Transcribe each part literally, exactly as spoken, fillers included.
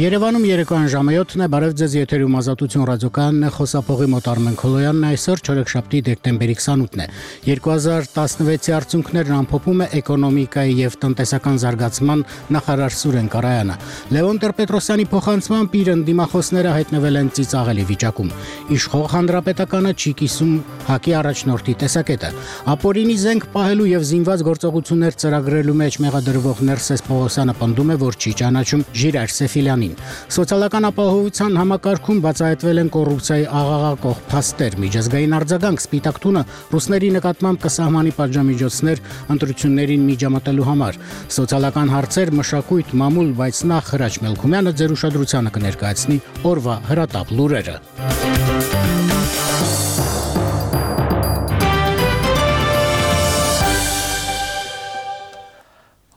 Երևանում երեկոյան ժամը յոթն է, բարև ձեզ, եթերում Ազատություն ռադիոկայանն է, խոսափողի մոտ Արմեն Քոլոյանն է, այսօր չորեքշաբթի դեկտեմբերի քսանութն է։ երկու հազար տասնվեցի արդյունքներն ամփոփում է էկոնոմիկայի եւ տնտեսական զարգացման նախարար Սուրեն Կարայանը։ Լևոն Տեր-Պետրոսյանի փոխանցմամբ իր ընդդիմախոսները հայտնվել են ծիծաղելի վիճակում։ Իշխող հանրապետականը չի կիսում ՀԱԿ-ի առաջնորդի տեսակետը։ Ապօրինի զենք պահելու եւ զինված գործողություններ ծրագրելու մեջ մեղադրվող Ներսես Պողոսյանը պնդում է, որ չի ճանաչում Ժիրայր Սեֆիլյանին։ Սոցիալական ապահովության համակարգում բացահայտվել են կոռուպցիայի աղաղակող փաստեր, միջազգային արձագանք Սպիտակ տունը ռուսների նկատմամբ կսահմանի պատժամիջոցներ ընտրություններին միջամտելու համար։ Սոցիալական հարցեր, մշակույթ, մամուլ, բայց նախ Հրաչ Մելքումյանը ձեր ուշադրությանը կներկայացնի օրվա հրատապ լուրերը։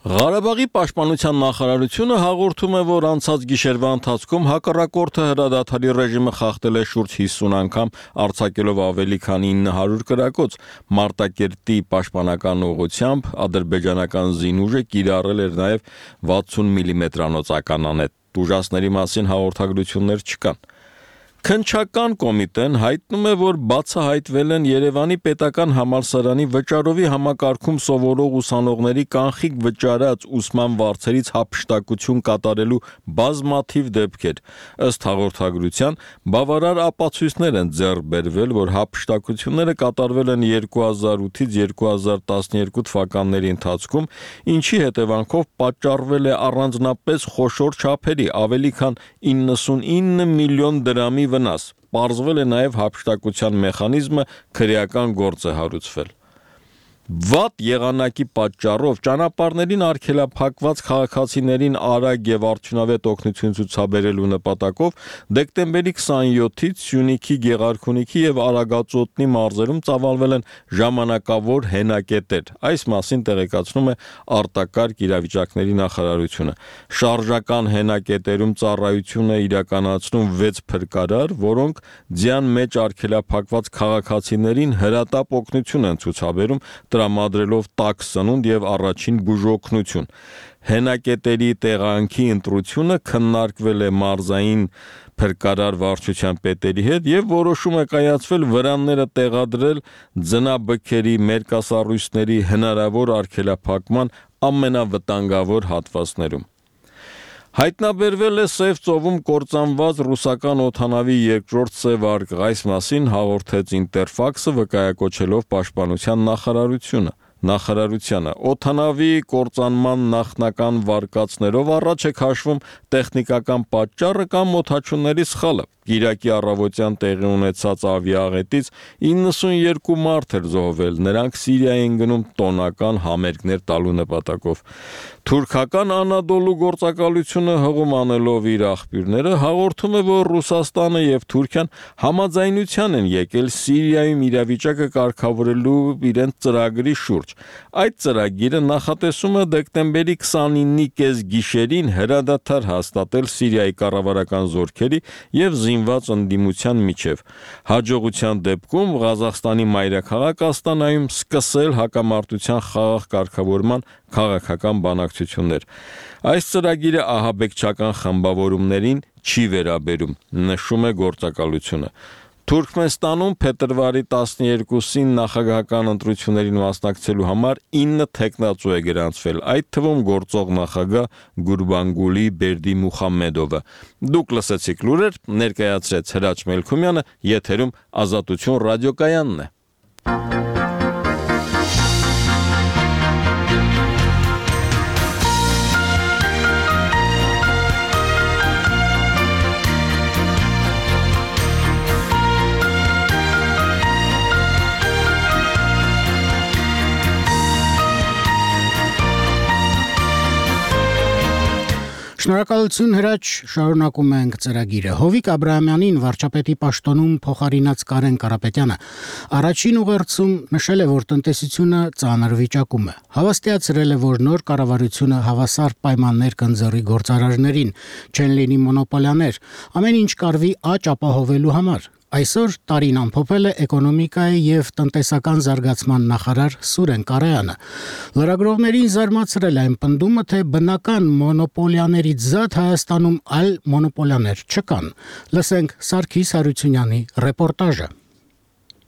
Ղարաբաղի պաշտպանության նախարարությունը հաղորդում է, որ անցած գիշերվա ընթացքում հակառակորդը հրադադարի ռեժիմը խախտել է շուրջ հիսուն անգամ, արձակելով ավելի քան ինը հարյուր կրակոց։ Մարտակերտի պաշտպանական ուղղությամբ ադրբեջանական զինուժը կիրառել էր նաև վաթսուն միլիմետրանոց ականանետ։ Ուժասների մասին հաղորդագրություններ չկան։ Քննչական կոմիտեն հայտնում է, որ բացահայտվել են Երևանի պետական համալսարանի վճարովի համակարգում սովորող ուսանողների կանխիկ վճարած ուսման վարձերից հափշտակություն կատարելու բազմաթիվ դեպքեր։ Ըստ հաղորդագրության, բավարար ապացույցներ են ձեռք բերվել, որ հափշտակությունները կատարվել են երկու հազար ութից երկու հազար տասնյոթ թվականների ընթացքում, ինչի հետևանքով պատճառվել է առանձնապես խոշոր չափերի ավելի քան իննսունինը միլիոն դրամի վնաս։ Պարզվել է նաև հափշտակության մեխանիզմը քրեական գործ է հարուցվել։ Վատ եղանակի պատճառով ճանապարհներին արգելափակված քաղաքացիներին արագ եւ արդյունավետ օգնություն ցուցաբերելու նպատակով դեկտեմբերի քսանյոթից Սյունիքի, Գեղարքունիքի եւ Արագածոտնի մարզերում ծավալվել են ժամանակավոր հենակետեր։ Այս մասին տեղեկացնում է արտակարգ իրավիճակների նախարարությունը։ Շարժական հենակետերում ծառայություն է իրականացնում վեց փրկարար, որոնք ձյան մեջ արգելափակված քաղաքացիներին հրատապ օգնություն են ցուցաբերում, տրամադրելով տաք սնունդ եւ առաջին բուժօգնություն։ Հենակետերի տեղանքի ընտրությունը քննարկվել է մարզային փրկարար վարչության պետերի հետ եւ որոշում է կայացվել վրանները տեղադրել ձնաբքերի, մերկասառույցների հնարավոր արգելափակման ամենավտանգավոր հատվածներում։ Հայտնաբերվել է Սև ծովում կործանված ռուսական օդանավի երկրորդ սև արկղ, այս մասին հաղորդեց Ինտերֆաքսը, վկայակոչելով պաշտպանության նախարարությունը։ Նախարարությանը օդանավի կործանման նախնական վարկածներով առաջ է քաշվում տեխնիկական պատճառը կամ օդաչուների սխալը։ Կիրակի առավոտյան տեղի ունեցած ավիաաղետից իննսունյոթ մարդ էր զոհվել, նրանք Սիրիա են գնում տոնական համերգներ տալու նպատակով։ Թուրքական Անադոլու գործակալությունը հղում անելով իր աղբյուրները հաղորդում է, որ Ռուսաստանը եւ Թուրքիան համաձայնության են եկել Սիրիայում իրավիճակը կարգավորելու իրենց ծրագրի շուրջ։ Այդ ծրագիրը նախատեսում է դեկտեմբերի քսանինի կեսգիշերին հրադադար հաստատել Սիրիայի կառավարական զորքերի եւ զինված ընդդիմության միջև։ Հաջողության դեպքում Ղազախստանի մայրաքաղաք Աստանայում սկսել հակամարտության խաղաղ կարգավորման քաղաքական բանակցություններ։ Այս ծրագիրը ահաբեկչական խմբավորումներին չի վերաբերում, նշում է գործակալությունը։ Թուրքմենստանում փետրվարի տասնյոթին նախագահական ընտրություններին մասնակցելու համար ինը թեկնածու է գրանցվել, այդ թվում գործող նախագահ Գուրբանգուլի Բերդիմուխամեդովը։ Դուք լսեցիք լուրեր, ներկայացրեց Հրաչ Մելքումյանը, եթերում Ազատություն ռադիոկայանն է։ Շնորհակալություն Հրաչ, շարունակում ենք ծրագիրը։ Հովիկ Աբրահամյանին վարչապետի պաշտոնում փոխարինած Կարեն Կարապետյանը առաջին ուղերձում նշել է, որ տնտեսությունը ծանր վիճակում է։ Հավաստիացրել է, որ նոր կառավարությունը հավասար պայմաններ կընձեռի գործարարներին, չեն լինի մոնոպոլիաներ, ամեն ինչ կարվի աճ ապահովելու համար։ Այսօր տարին ամփոփել է էկոնոմիկայի եւ տնտեսական զարգացման նախարար Սուրեն Կարայանը։ Լրագրողներին զարմացրել այն պնդումը, թե բնական մոնոպոլիաներից զատ Հայաստանում այլ մոնոպոլիաներ չկան։ Լսենք Սարգիս Հարությունյանի ռեպորտաժը։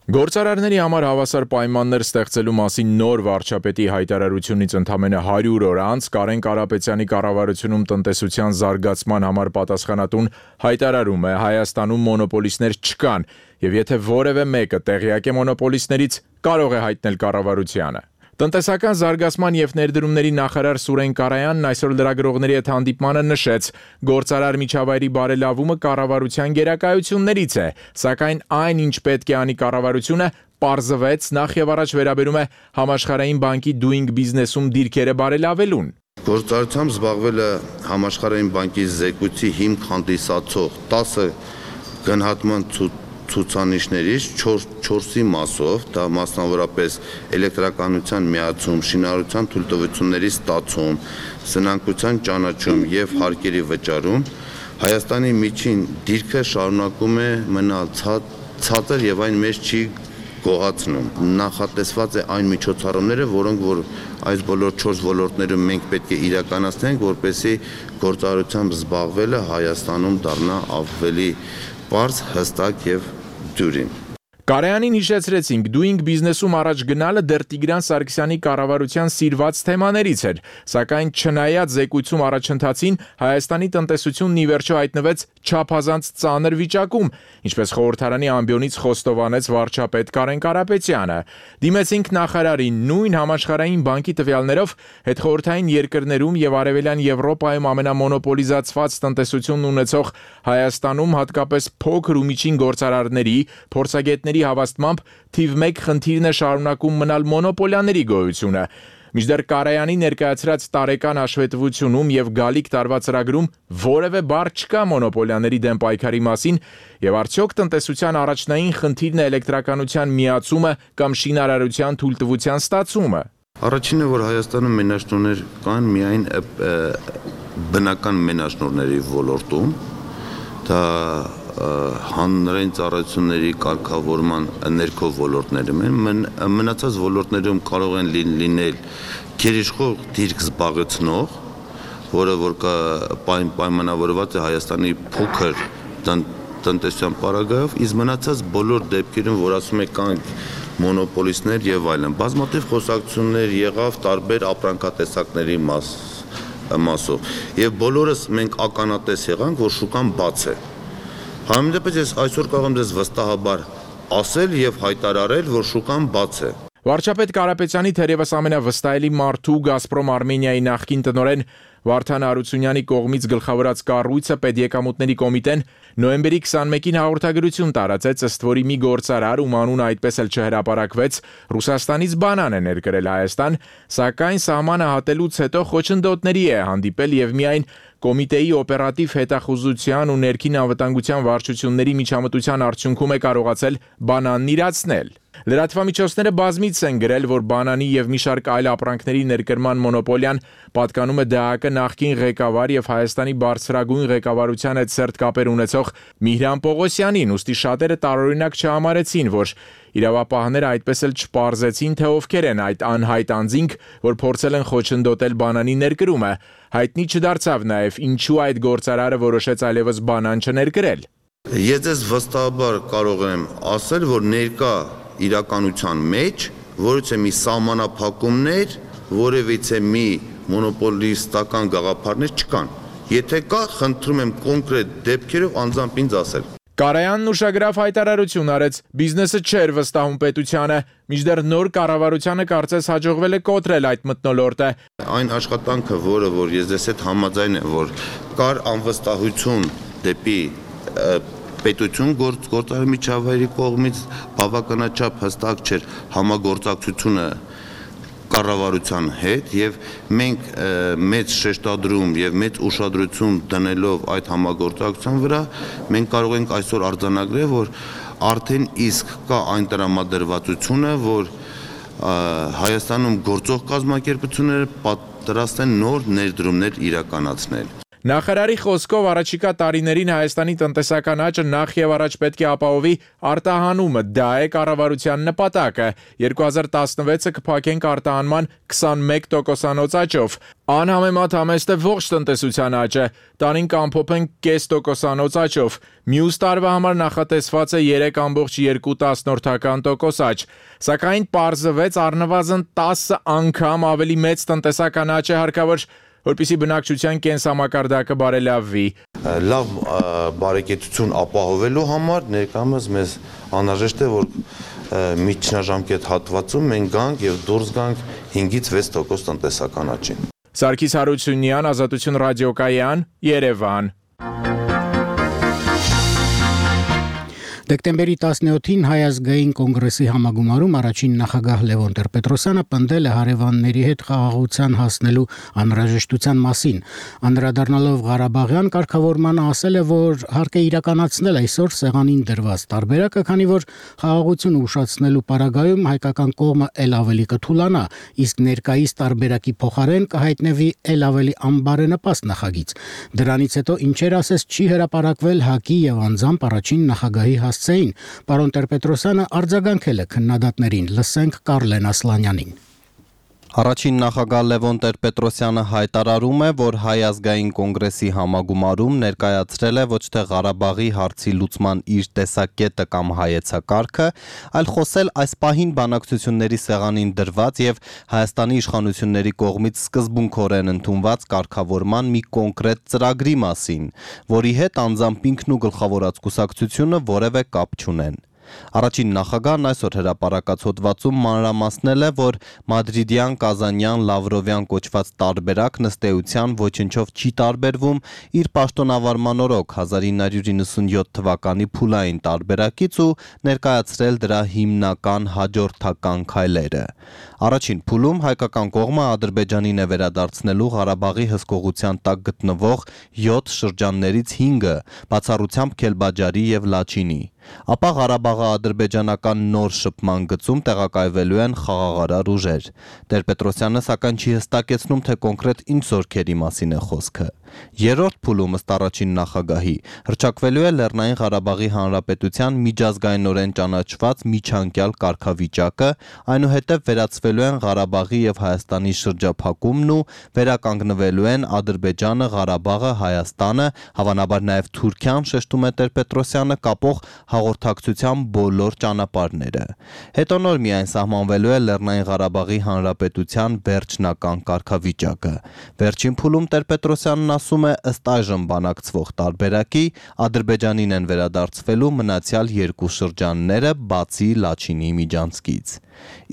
Գործարարների համար հավասար պայմաններ ստեղծելու մասին նոր վարչապետի հայտարարությունից ընդամենը հարյուր օր անց Կարեն Կարապետյանի կառավարությունում տնտեսության զարգացման համար պատասխանատուն հայտարարում է Հայաստանում մոնոպոլիստներ չկան եւ եթե որևէ մեկը տեղյակ է մոնոպոլիստներից կարող է հայտնել կառավարությանը։ Տնտեսական զարգացման եւ ներդրումների նախարար Սուրեն Կարայանն այսօր լրագրողների հետ հանդիպմանը նշեց, գործարար միջավայրի բարելավումը կառավարության գերակայություններից է, սակայն այն, ինչ պետք է անի կառավարությունը, պարզվեց նախ եւ առաջ վերաբերում է Համաշխարհային բանկի Doing Business-ում դիրքերը բարելավելուն։ Գործարարությամբ զբաղվելը Համաշխարհային բանկի զեկույցի հիմք հանդիսացող տասը գնահատման ցուցանիշներից չորսի մասով, դա մասնավորապես էլեկտրականության միացում, շինարարության թույլտվությունների ստացում, սնանկության ճանաչում եւ հարկերի վճարում, Հայաստանի միջին դիրքը շարունակում է մնալ ցածր եւ այն մեծ չի գոհացնում։ Նախատեսված է այն միջոցառումները, որոնք որ այս բոլոր չորս ոլորտներում մենք պետք է իրականացնենք, որպեսզի գործարարությամբ զբաղվելը Հայաստանում դառնա ավելի պարզ, հստակ եւ դյուրին։ Կարայանին հիշեցրեցինք, Doing Business-ում առաջ գնալը դեռ Տիգրան Սարգսյանի կառավարության սիրված թեմաներից էր, սակայն չնայած զեկույցում առաջընթացին Հայաստանի տնտեսությունն ի վերջո հայտնվեց չափազանց ծանր վիճակում, ինչպես խորհրդարանի ամբիոնից խոստովանեց վարչապետ Կարեն Կարապետյանը։ Դիմեցինք նախարարին նույն Համաշխարհային բանկի տվյալներով հետխորհրդային երկրներում եւ Արևելյան Եվրոպայում ամենամոնոպոլիզացված տնտեսությունն ունեցող Հայաստանում հատկապես փոքր ու միջին գործարարների, փորձագետների հավաստմամբ թիվ մեկ խնդիրն է շարունակում մնալ մոնոպոլիաների գոյությունը։ Մինչդեռ Կարայանի ներկայացրած տարեկան հաշվետվությունում եւ գալիք տարվա ծրագրում որևէ բառ չկա մոնոպոլիաների դեմ պայքարի մասին եւ արդյոք տնտեսության առաջնային խնդիրն է էլեկտրականության միացումը կամ շինարարության թույլտվության ստացումը։ Առաջինը, որ Հայաստանում մենաշնորհներ կան միայն բնական մենաշնորհների ոլորտում, դա հանրային ծառայությունների կարգավորման ներքո ոլորտներում են, մնացած ոլորտներում կարող են լինել գերիշխող դիրք զբաղեցնող, որը որ պայմանավորված է Հայաստանի փոքր տնտեսության պարագայով, իսկ մնացած բոլոր դեպքերում, որ ասում է կան մոնոպոլիստներ եւ այլն, բազմաթիվ խոսակցություններ եղավ տարբեր ապրանքատեսակների մասով եւ բոլորս մենք ականատես եղանք, որ շուկան բաց է։ Համենայնիվ ես այսօր կարող եմ ձեզ վստահաբար ասել եւ հայտարարել, որ շուկան բաց է։ Վարչապետ Կարապետյանի թերևս ամենավստահելի մարդու Գազպրոմ Արմենիայի նախկին տնօրեն Վարդան Հարությունյանի կողմից գլխավորած կառույցը Պետեկամուտների կոմիտեն նոյեմբերի քսանմեկին հաղորդագրություն տարածեց, ըստ որի մի գործարար, ում անունը այդպես էլ չհրապարակվեց, Ռուսաստանից բանան է ներկրել Հայաստան, սակայն սահմանը հատելուց հետո խոչընդոտների է հանդիպել եւ միայն Կոմիտեի օպերատիվ հետախուզության ու ներքին անվտանգության վարչությունների միջամտության արդյունքում է կարողացել բանանն իրացնել։ Լրատվամիջոցները բազմիցս են գրել, որ բանանի եւ մի շարք այլ ապրանքների ներկրման մոնոպոլիան պատկանում է ԴԱԿ նախկին ղեկավար եւ Հայաստանի բարձրագույն ղեկավարության հետ սերտ կապեր ունեցող Միհրան Պողոսյանին, ուստի շատերը տարօրինակ չհամարեցին, որ իրավապահները այդպես էլ չպարզեցին, թե ովքեր են այդ անհայտ անձինք, որ փորձել են խոչընդոտել բանանի ներկրումը։ Հայտնի չդարձավ նաեւ ինչու այդ գործարարը որոշեց այլևս բանան չներկրել։ Ես ձեզ վստահաբար կարող եմ ասել, որ ներկա իրականության մեջ որից է մի սահմանափակումներ, որևիցե մի մոնոպոլիստական գաղափարներ չկան։ Եթե կա, խնդրում եմ կոնկրետ դեպքերով անձամբ ինձ ասել։ Կարայանն ուշագրավ հայտարարություն արեց, բիզնեսը չէր վստահում պետությանը, մինչդեռ նոր կառավարությանը կարծես հաջողվել է կոտրել այդ մթնոլորտը։ Այն աշխատանքը, որը որ ես ձեզ հետ համաձայն եմ, որ կար անվստահություն դեպի պետություն գործարարի միջավայրի կողմից, բավականաչափ հստակ չէր համագործակցությունը կառավարության հետ եւ մենք մեծ շեշտադրում եւ մեծ ուշադրություն դնելով այդ համագործակցության վրա մենք կարող ենք այսօր արձանագրել, որ արդեն իսկ կա այն տրամադրվածությունը, որ Հայաստանում գործող կազմակերպությունները պատրաստ են նոր ներդրումներ իրականացնել։ Նախարարի խոսքով առաջիկա տարիներին Հայաստանի տնտեսական աճը նախ եւ առաջ պետք է ապահովի արտահանումը, դա է կառավարության նպատակը։ երկու հազար տասնվեցը կփակենք արտահանման քսանմեկ տոկոսանոց աճով։ Անհամեմատ համեստ է ողջ տնտեսության աճը, տանին կամփոփենք կես տոկոսանոց աճով։ Մյուս տարվա համար նախատեսված է երեք կόμկոմ երկու տոկոս աճ, սակայն պարզվեց առնվազն տասը անգամ ավելի մեծ տնտեսական աճ է հարկավոր, որպեսզի բնակչության կենսամակարդակը բարելավվի։ Լավ բարեկեցություն ապահովելու համար ներկայումս մեզ անհրաժեշտ է, որ միջնաժամկետ հատվածում մենք գանք եւ դուրս գանք հինգից վեց տոկոս տնտեսական աճին։ Սարգիս Հարությունյան, Ազատություն ռադիոկայան, Երևան։ Դեկտեմբերի տասնյոթին Հայ ազգային կոնգրեսի համագումարում առաջին նախագահ Լևոն Տեր-Պետրոսյանը պնդել է հարևանների հետ խաղաղության հասնելու անհրաժեշտության մասին։ Անդրադառնալով Ղարաբաղյան կարգավորմանը ասել է, որ հարկ է իրականացնել այսօր սեղանին դրված տարբերակը, քանի որ խաղաղությունը ուշացնելու պարագայում հայկական կողմը ել ավելի կթուլանա, իսկ ներկայիս տարբերակի փոխարեն կհայտնվի ել ավելի անբարենպաստ նախագիծ։ Դրանից հետո ինչեր ասես չի հրապարակվել ՀԱԿ-ի եւ անձամբ առաջին նախագահի Սեին, պարոն Տեր-Պետրոսյանը արձագանքել է քննադատներին, լսենք Կարլեն Ասլանյանին։ Առաջին նախագահ Լևոն Տեր-Պետրոսյանը հայտարարում է, որ Հայ ազգային կոնգրեսի համագումարում ներկայացրել է ոչ թե Ղարաբաղի հարցի լուծման իր տեսակետը կամ հայեցակարգը, այլ խոսել այս պահին բանակցությունների սեղանին դրված եւ Հայաստանի իշխանությունների կողմից սկզբունքորեն ընդունված կարգավորման մի կոնկրետ ծրագրի մասին, որի հետ անձամբ ինքն ու գլխավորած կուսակցությունը որևէ կապ չունեն։ Առաջին նախագահն այսօր հրապարակած հոդվածում մանրամասնել է, որ մադրիդյան, կազանյան, լավրովյան կոչված տարբերակն ըստ էության ոչնչով չի տարբերվում իր պաշտոնավարման օրոք հազար ինը հարյուր իննսունյոթ թվականի փուլային տարբերակից ու ներկայացրել դրա հիմնական հաջորդական քայլերը։ Առաջին փուլում հայկական կողմը Ադրբեջանին է վերադարձնելու Ղարաբաղի հսկողության տակ գտնվող յոթ շրջաններից հինգը, բացառությամբ Քելբաջարի եւ Լաչինի։ Ապա Ղարաբաղը ադրբեջանական նոր շփման գծում տեղակայվելու են խաղաղարար ուժեր։ Տեր-Պետրոսյանը սակայն չի հստակեցնում, թե կոնկրետ ինչ զորքերի մասին է խոսքը։ Երրորդ փուլում ըստ առաջին նախագահի հռչակվելու է Լեռնային Ղարաբաղի Հանրապետության միջազգայինորեն ճանաչված միջանկյալ կարգավիճակը, այնուհետև վերացվելու են Ղարաբաղի եւ Հայաստանի շրջափակումն ու վերականգնվելու են Ադրբեջանը, Ղարաբաղը, Հայաստանը, հավանաբար նաեւ Թուրքիան, շեշտում է Տեր-Պետրոսյանը, կապող հաղորդակցության բոլոր ճանապարհները։ Հետո նոր միայն սահմանվելու է Լեռնային Ղարաբաղի Հանրապետության վերջնական կարգավիճակը։ Վերջին փուլում Տեր-Պետրոսյանն ասում է, ըստ այժմ բանակցվող տարբերակի Ադրբեջանին են վերադարձվելու մնացյալ երկու շրջանները, բացի Լաչինի միջանցքից։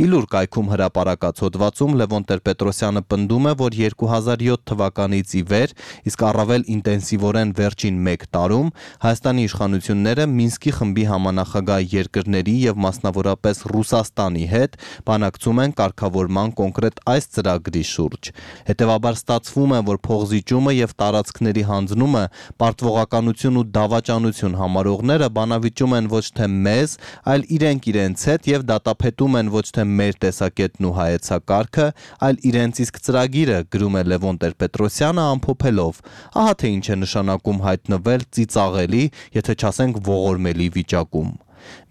Իլուր կայքում հրապարակած հոդվածում Լևոն Տեր-Պետրոսյանը պնդում է, որ երկու հազար յոթ թվականից ի վեր, իսկ առավել ինտենսիվորեն վերջին մեկ տարում Հայաստանի իշխանությունները Մինսկի խմբի համանախագահ երկրների եւ մասնավորապես Ռուսաստանի հետ բանակցում են կարգավորման կոնկրետ այս ծրագրի շուրջ։ Հետևաբար ստացվում է, որ փողզիջումը եւ տարածքների հանձնումը պարտվողականություն ու դավաճանություն համարողները բանավիճում են ոչ թե մեզ, այլ իրենք իրենց հետ եւ դատապետում են ոչ թե մեր տեսակետն ու հայեցակարգը, այլ իրենց իսկ ծրագիրը, գրում է Լևոն Տեր-Պետրոսյանը ամփոփելով։ Ահա թե ինչ է նշանակում հայտնվել ծիծաղելի, եթե չասենք ողորմելի վիճակում։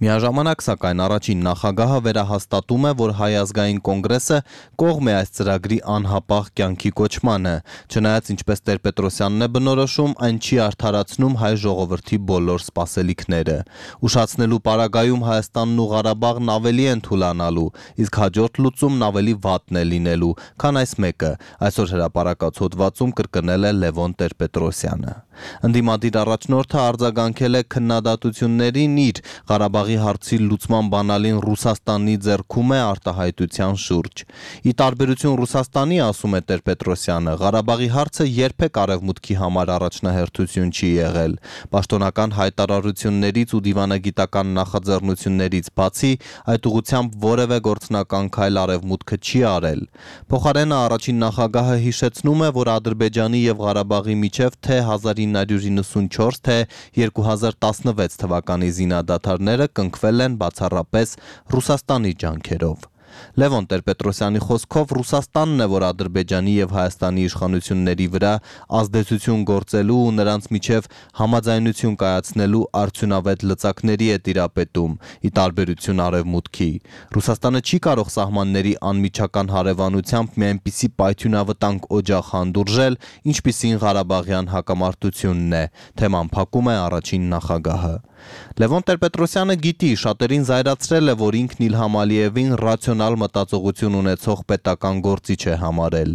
Միաժամանակ սակայն առաջին նախագահը վերահաստատում է, որ Հայ ազգային կոնգրեսը կողմ է այս ծրագրի անհապաղ կյանքի կոչմանը, չնայած ինչպես Տեր-Պետրոսյանն է բնորոշում, այն չի արդարացնում հայ ժողովրդի բոլոր սպասելիքները։ Ուշացնելու պարագայում Հայաստանն ու Ղարաբաղն ավելի են թուլանալու, իսկ հաջորդ լուծումն ավելի վատն է լինելու, քան այս մեկը, այսօր հրապարակած հոդվածում կրկնել է Լևոն Տեր-Պետրոսյանը։ Ընդդիմադիր առաջնորդը արձագանքել է քննադատություններին իր Ղարաբաղի հարցի լուծման բանալին Ռուսաստանի ձեռքում է արտահայտության շուրջ։ Ի տարբերություն Ռուսաստանի, ասում է Տեր-Պետրոսյանը, Ղարաբաղի հարցը երբեք արևմուտքի համար առաջնահերթություն չի եղել։ Պաշտոնական հայտարարություններից ու դիվանագիտական նախաձեռնություններից բացի այդ ուղղությամբ որևէ գործնական քայլ արևմուտքը չի արել։ Փոխարենը առաջին նախագահը հիշեցնում է, որ Ադրբեջանի եւ Ղարաբաղի միջև թե հազար ինը հարյուր իննսունչորս, թե երկու հազար տասնվեց թվականի զինադադարները կնքվել են բացառապես Ռուսաստանի ջանքերով։ Լևոն Տեր-Պետրոսյանի խոսքով Ռուսաստանն է, որ Ադրբեջանի եւ Հայաստանի իշխանությունների վրա ազդեցություն գործելու ու նրանց միջև համաձայնություն կայացնելու արդյունավետ լծակների է տիրապետում, ի տարբերություն Արևմուտքի։ Ռուսաստանը չի կարող սահմանների անմիջական հարևանությամբ մի այնպիսի պայթյունավտանգ օջախ հանդուրժել, ինչպիսին Ղարաբաղյան հակամարտությունն է, թեման փակում է առաջին նախագահը։ Լևոն Տեր-Պետրոսյանը գիտի, շատերին զայրացրել է, որ ինքն Իլհամ Ալիևին ռացիոնալ մտածողություն ունեցող պետական գործիչ է համարել։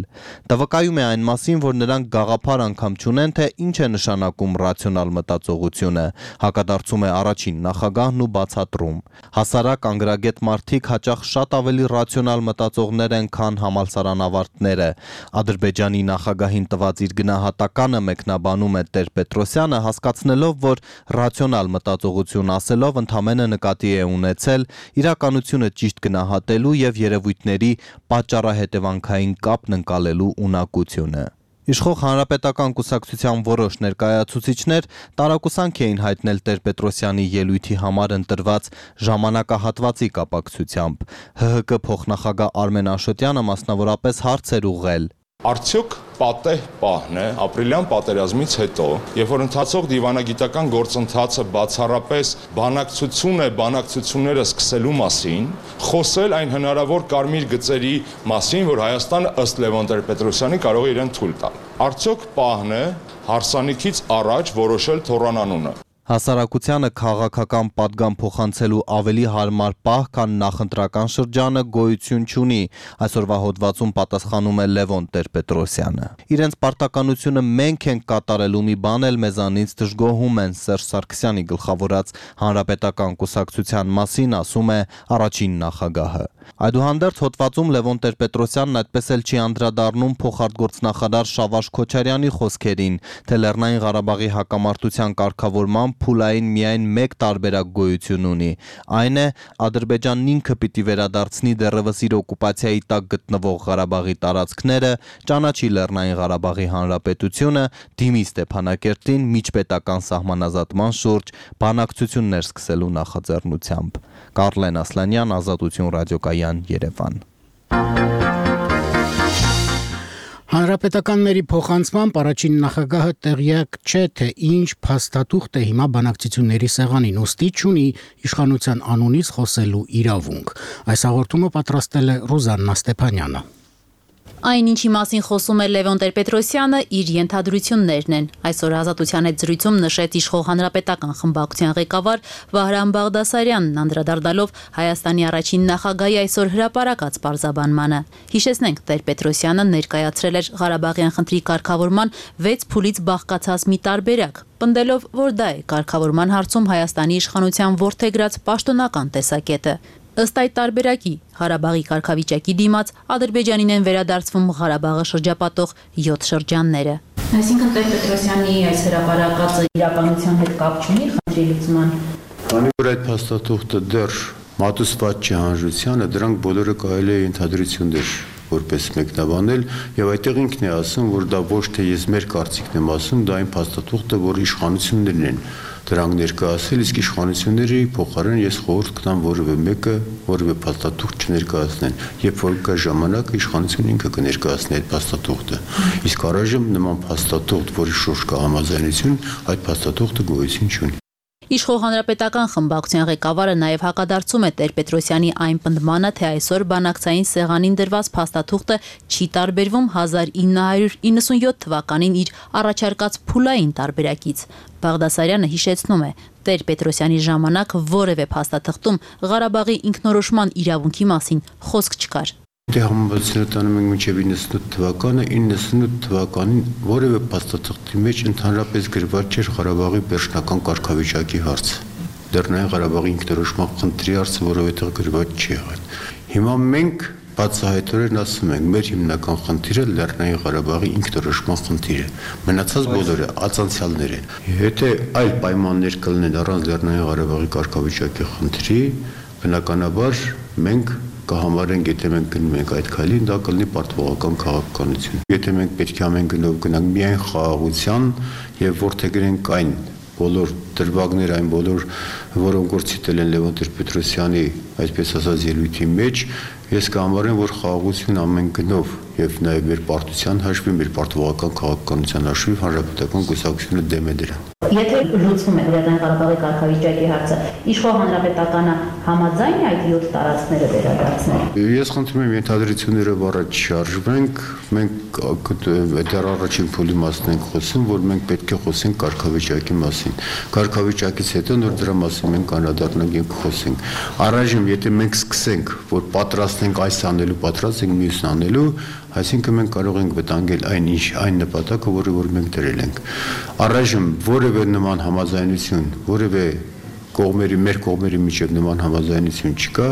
Դա վկայում է այն մասին, որ նրանք գաղափար անգամ չունեն, թե ինչ է նշանակում ռացիոնալ մտածողությունը, հակադարձում է առաջին նախագահն ու բացատրում։ Հասարակ անգրագետ մարդիկ հաճախ շատ ավելի ռացիոնալ մտածողներ են, քան համալսարանավարտները։ Ադրբեջանի նախագահին տված իր գնահատականը մեկնաբանում է Տեր-Պետրոսյանը, հասկացնելով, որ ռացիոնալ մտածողություն ասելով ընդհանրապես նկատի է ունեցել իրականությունը ճիշտ գնահատելու եւ երևույթների պատճառահետևանքային կապն ընկալելու ունակությունը։ Իշխող հանրապետական կուսակցության որոշ ներկայացուցիչներ տարակուսանք էին հայտնել Տեր-Պետրոսյանի ելույթի համար ընտրված ժամանակահատվածի կապակցությամբ։ Հ Հ K փոխնախագահ Արմեն Աշոտյանը մասնավորապես հարց էր ուղղել. Արդյոք պատեհ պահն է ապրիլյան պատերազմից հետո, երբ որ ընթացող դիվանագիտական գործընթացը բացառապես բանակցություն է բանակցությունները սկսելու մասին, խոսել այն հնարավոր կարմիր գծերի մասին, որ Հայաստանը ըստ Լևոն Տեր-Պետրոսյանի կարող է իրեն թույլ տալ։ Արդյոք պահն է հարսանիքից առաջ որոշել թոռանանունը։ Հասարակությանը քաղաքական պատգամ փոխանցելու ավելի հարմար պահ, քան նախընտրական շրջանը գոյություն չունի, այսօրվա հոդվածում պատասխանում է Լևոն Տեր-Պետրոսյանը։ Իրենց պարտականությունը մենք ենք կատարելու մի բան էլ մեզանից դժգոհում են Սերժ Սարգսյանի գլխավորած հանրապետական կուսակցության մասին, ասում է առաջին նախագահը։ Այդուհանդերձ հոդվածում Լևոն Տեր-Պետրոսյանն այդպես էլ չի անդրադառնում փոխարտգործնախարար Շավարժ Քոչարյանի խոսքերին, թե Լեռնային Ղարաբաղի հակամարտության կարգավորման փուլային միայն մեկ տարբերակ գոյություն ունի։ Այն է Ադրբեջանն ինքը պիտի վերադարձնի դեռևս իր օկուպացիայի տակ գտնվող Ղարաբաղի տարածքները, ճանաչի Լեռնային Ղարաբաղի Հանրապետությունը, դիմի Ստեփանակերտին միջպետական սահմանազատման շուրջ բանակցություններ սկսելու նախաձեռնությամբ։ Կարլեն Ասլանյան, Ազատություն ռադիոկայան, Երևան։ Հանրապետականների փոխանցմամբ առաջին նախագահը տեղյակ չէ, թե ինչ փաստաթուղթ է հիմա բանակցությունների սեղանին, ուստի չունի իշխանության անունից խոսելու իրավունք։ Այս հաղորդումը պատրաստել է Ռուզաննա Ստեփանյանը։ Այն, ինչի մասին խոսում է Լևոն Տեր-Պետրոսյանը, իր ենթադրություններն են։ Այսօր Ազատության հետ զրույցում նշեց իշխող հանրապետական խմբակցության ղեկավար Վահրամ Բաղդասարյանն, անդրադառնալով Հայաստանի առաջին նախագահի այսօր հրապարակած պարզաբանմանը։ Հիշեցնենք, Տեր-Պետրոսյանը ներկայացրել էր Ղարաբաղյան խնդրի կարգավորման վեց փուլից բաղկացած մի տարբերակ, պնդելով, որ դա է կարգավորման հարցում Հայաստանի իշխանության որդեգրած պաշտոնական տեսակետը։ Ըստ այդ տարբերակի, Ղարաբաղի կարգավիճակի դիմաց Ադրբեջանին են վերադարձվում Ղարաբաղը շրջապատող յոթ շրջանները։ Այսինքն Տեր-Պետրոսյանի այս հրապարակածը իրականության հետ կապ չունի խնդրի լուծման։ Քանի որ այդ փաստաթուղթը դեռ մատուցված չի հանրությանը, դրանք բոլորը կարելի է ենթադրություններ որպես մեկնաբանել, եւ այդտեղ ինքն է ասում, որ դա ոչ թե ես մեր կարծիքն եմ ասում, դա այն փաստաթուղթը, որ իշխանություններն են դրանք ներկայացել, իսկ իշխանությունների փոխարեն ես խորհուրդ կտամ որևէ մեկը որևէ փաստաթուղթ չներկայացնեն, երբ որ կա ժամանակ իշխանությունը ինքը կներկայացնի այդ փաստաթուղթը։ Իսկ առայժմ նման փաստաթուղթ, որի շուրջ կա համաձայնություն, այդ փաստաթուղթը գոյություն չունի։ Իշխող հանրապետական խմբակցության ղեկավարը նաև հակադարձում է Տեր-Պետրոսյանի այն պնդմանը, թե այսօր բանակցային սեղանին դրված փաստաթուղթը չի տարբերվում հազար ինը հարյուր իննսունյոթ թվականին իր առաջարկած փուլային տարբերակից։ Բաղդասարյանը հիշեցնում է, Տեր-Պետրոսյանի ժամանակ որևէ փաստաթղթում Ղարաբաղի ինքնորոշման իրավունքի մասին խոսք չկար։ Դե համաձայնությունը տանում ենք մինչև իննսունութ թվականը, իննսունութ թվականին որևէ փաստաթղթի մեջ ընդհանրապես գրված չէր Ղարաբաղի վերջնական կարգավիճակի հարցը։ Լեռնային Ղարաբաղի ինքնորոշման խնդրի հարցը որովհետև գրված չի եղել։ Հիմա մենք բացահայտորեն ասում ենք, մեր հիմնական խնդիրը Լեռնային Ղարաբաղի ինքնորոշման խնդիրը։ Մնացած բոլորը ածանցյալներ են։ Եթե այլ պայմաններ կլինեն առանց Լեռնային Ղարաբաղի կարգավիճակի խնդրի, բնականաբար մենք կհամարենք, եթե մենք գնում ենք այդ քայլին, դա կլինի պարտվողական քաղաքականություն։ Եթե մենք պետք է ամեն գնով գնանք միայն խաղաղության եւ որդեգրենք այն բոլոր դրվագներ, այն բոլոր, որոնք որ ցիտել են Լևոն Տեր-Պետրոսյանի, այսպես ասած, ելույթի մեջ, Ես կհամարեմ, որ խաղաղություն ամեն գնով եւ նաեւ մեր պարտության հաշվի, մեր պարտվողական քաղաքականության հաշվի հանրապետական կուսակցությունը դեմ է դրան։ Եթե լուծվում է Լեռնային Ղարաբաղի կարգավիճակի հարցը, իշխող հանրապետականը համաձայն է այդ յոթ տարածքները վերադարձնել։ Ես խնդրում եմ ենթադրություններով առաջ շարժվենք, մենք դեռ առաջին փուլի մասն ենք խոսում, որ մենք պետք է խոսենք կարգավիճակի մասին։ Կարգավիճակից հետո նոր դրա մասին մենք անդրադառնանք եւ խոսենք։ Առայժմ եթե մենք սկսենք, որ պատրաստ ենք այս անելու, պատրաստ ենք մյուսն անելու, այսինքն մենք կարող ենք վտանգել այն ինչ այն նպատակը, որը որ մենք դրել ենք։ Առայժմ որևէ նման համաձայնություն, որևէ կողմերի մեր կողմերի միջև նման համաձայնություն չկա։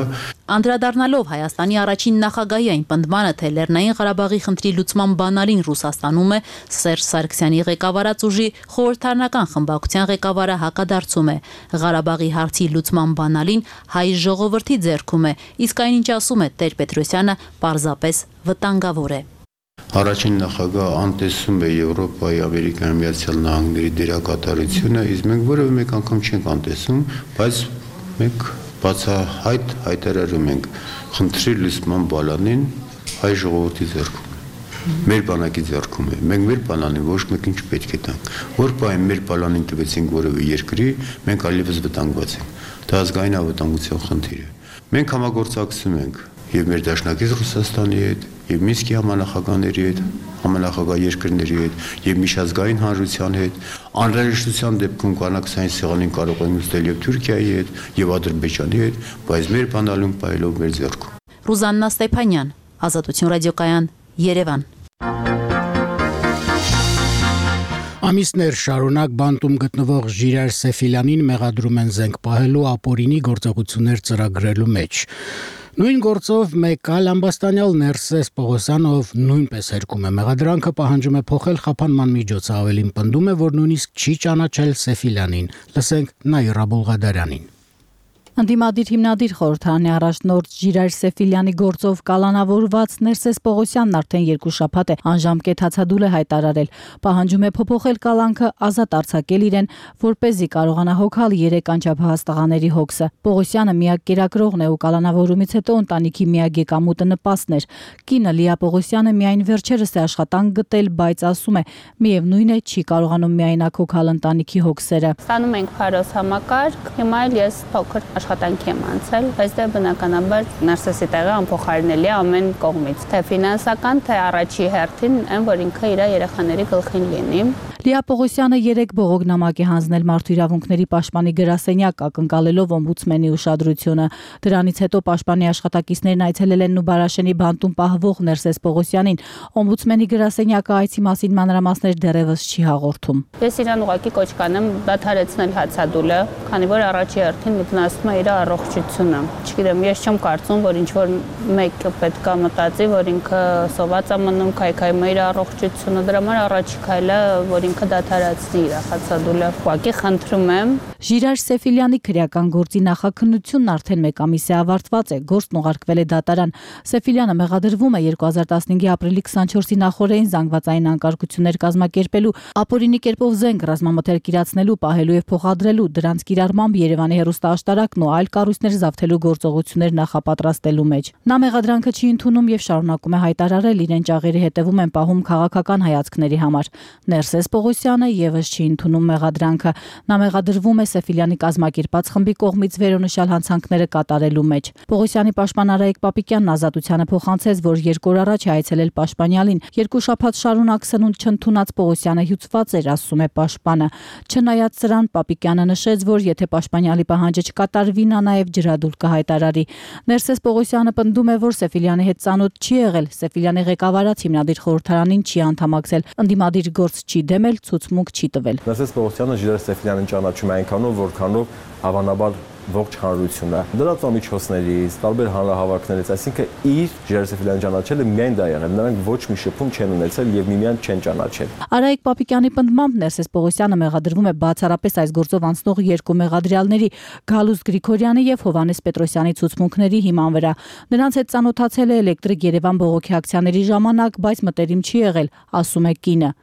Անդրադառնալով Հայաստանի առաջին նախագահի այն պնդմանը, թե Լեռնային Ղարաբաղի խնդրի լուծման բանալին Ռուսաստանում է, Սերժ Սարգսյանի ղեկավարած ուժի խորհրդարանական խմբակցության ղեկավարը հակադարձում է։ Ղարաբաղի հարցի լուծման բանալին հայ ժողովրդի ձեռքում է, իսկ այնինչ ասում է Տեր-Պետրոսյանը, պարզապես վտանգավոր է։ Առաջին նախագահ անտեսում է Եվրոպայի, Ամերիկայի Միացյալ Նահանգների դերակատարությունը, իսկ մենք որևէ մեկ անգամ չենք անտեսում, բայց մենք բացահայտ հայտարարում ենք խնդրի լուծման բանալին հայ ժողովրդի ձեռքում է։ Մեր բանակի ձեռքում է։ Մենք մեր բանալին ոչ մեկ ինչ պետք է տանք։ Որ բան մեր բանալին տվեցինք որևէ երկրի, մենք այլևս վտանգված ենք։ Դա ազգային անվտանգության խնդիր է։ Մենք համագործակցում ենք եւ մեր դաշնակից Ռուսաստանի հետ, եւ Մինսկի համանախագահների հետ, համանախագահ երկրների հետ եւ միջազգային հանրության հետ, անհրաժեշտության դեպքում կանաքսային սեղանին կարող են նստել եւ Թուրքիայի հետ եւ Ադրբեջանի հետ, բայց մեր բանալուն պայելով մեր ձեռքում։ Ռուզաննա Ստեփանյան, Ազատություն ռադիոկայան, Երևան։ Ամիսներ շարունակ բանտում գտնվող Ժիրայր Սեֆիլյանին մեղադրում են զենք պահելու ապօրինի գործողություններ ծրագրելու մեջ։ Նույն գործով մեկ այլ ամբաստանյալ Ներսես Պողոսյանով նույնպես հերկում է մեղադրանքը, պահանջում է փոխել խափանման միջոցը, ավելին պնդում է, որ նույնիսկ չի ճանաչել Սեֆիլյանին։ Լսենք Նաիրա Բուլղադարյանին։ Ընդդիմադիր հիմնադիր խորհրդարանի առաջնորդ Ժիրայր Սեֆիլյանի գործով կալանավորված Ներսես Պողոսյանն արդեն երկու շաբաթ է անժամկետ հացադուլ է հայտարարել, պահանջում է փոփոխել կալանքը, ազատ արձակել իրեն, որպեսզի կարողանա հոգալ երեք անչափահաս տղաների հոգսը։ Պողոսյանը միակ կերակրողն է ու կալանավորումից հետո ընտանիքի միակ եկամուտը նպաստն էր։ Կինը Լիա Պողոսյանը միայն վերջերս է աշխատանք գտել, բայց ասում է, միևնույն է չի կարողանում միայնակ հոգալ ընտանիքի հոգսերը։ Ստանում ենք փարոս համակարգ, հիմա էլ ես փոքր աշխատանքի եմ անցել, բայց դա բնականաբար Ներսեսի տեղը անփոխարինելի է ամեն կողմից, թե ֆինանսական, թե առաջի հերթին, այն որ ինքը իր երեխաների գլխին լինի։ Լիա Պողոսյանը երեք բողոքնամակ է հանձնել մարդու իրավունքների պաշտպանի գրասենյակ, ակնկալելով օմբուդսմենի ուշադրությունը։ Դրանից հետո պաշտպանի աշխատակիցներն այցելել են Նուբարաշենի բանտում պահվող Ներսես Պողոսյանին։ Օմբուդսմենի գրասենյակը այցի մասին մանրամասներ դեռևս չի հաղորդում։ Ես իրան ուղղակի կոչ կանեմ դադարեցնել հացադուլը, քանի որ առաջի հերթին մտնասում է իր առողջությունը։ Չգիտեմ, ես չեմ կարծում, որ ինչ որ մեկը պետք է մտածի, որ ինքը սոված է մնում, քայքայում է իր առողջությունը, դրա համար առաջի քայլը, որ ինքը դադարեցնի իր հացադուլը։ Ուղղակի խնդրում եմ։ Ժիրայր Սեֆիլյանի քրեական գործի նախաքննությունն արդեն մեկ ամիս է ավարտված է, գործն ուղարկվել է դատարան։ Սեֆիլյանը մեղադրվում է երկու հազար տասնհինգի ապրիլի քսանչորսի նախօրեին զանգվածային անկարգություններ կազմակերպելու, ապօրինի կերպով զենք ռազմամթերք իրացնելու, պահելու եւ փոխադրելու, դրանց կիրառմամբ Երևանի հեռուստաաշտարակն ու այլ կառույցներ զավթելու գործողություններ նախապատրաստելու մեջ։ Նա մեղադրանքը չի ընդունում եւ շարունակում է հայտարարել, իրեն ճաղերի հետևում են պահում քաղաքական հայացքների համար։ Ներսես Պողոսյանը եւս չի ընդունում մեղադրանքը։ Նա մեղադրվում է Սեֆիլյանի կազմակերպած խմբի կողմից վերոնշյալ հանցանքները կատարելու մեջ։ Պողոսյանի պաշտպան Արայիկ Պապիկյանն Ազատությանը փոխանցեց, որ երկու օր առաջ է այցելել պաշտպանյալին։ Երկու շաբաթ շարունակ սնունդ չընդունած Պողոսյանը հյուծված էր, ասում է պաշտպանը։ Չնայած սրան, Պապիկյանը նշեց, որ եթե պաշտպանյալի պահանջը չկատարվի, նա նաև ջրադուլ կհայտարարի։ Ներսես Պողոսյանը պնդում է, որ Սեֆիլյանի հետ ծանոթ չի եղել, Սեֆիլյանի ղեկավարած հիմնադիր խորհրդարանին չի անդամակցել, ընդդիմադիր գործ չի դեմել, ցուցմունք չի տվել։ Ներսես Պողոսյանը Ժիրայր Սեֆիլյանին ճանաչում է այնքանով, որքանով հավանաբար ողջ հանրությունը լրատվամիջոցներից, տարբեր հանրահավաքներից, այսինքն իր Ժիրայր Սեֆիլյանի ճանաչելը միայն դա եղել, նրանք ոչ մի շփում չեն ունեցել եւ միմյանց չեն ճանաչել։ Արայիկ Պապիկյանի պնդմամբ Ներսես Պողոսյանը մեղադրվում է բացառապես այս գործով անցնող երկու մեղադրյալների՝ Գալուս Գրիգորյանի եւ Հովհաննես Պետրոսյանի ցուցմունքների հիման վրա։ Նրանց հետ ծանոթացել է Էլեկտրիկ Երևան բողոքի ակցիաների ժամանակ, բայց մտերիմ չի եղել, ասում է կինը։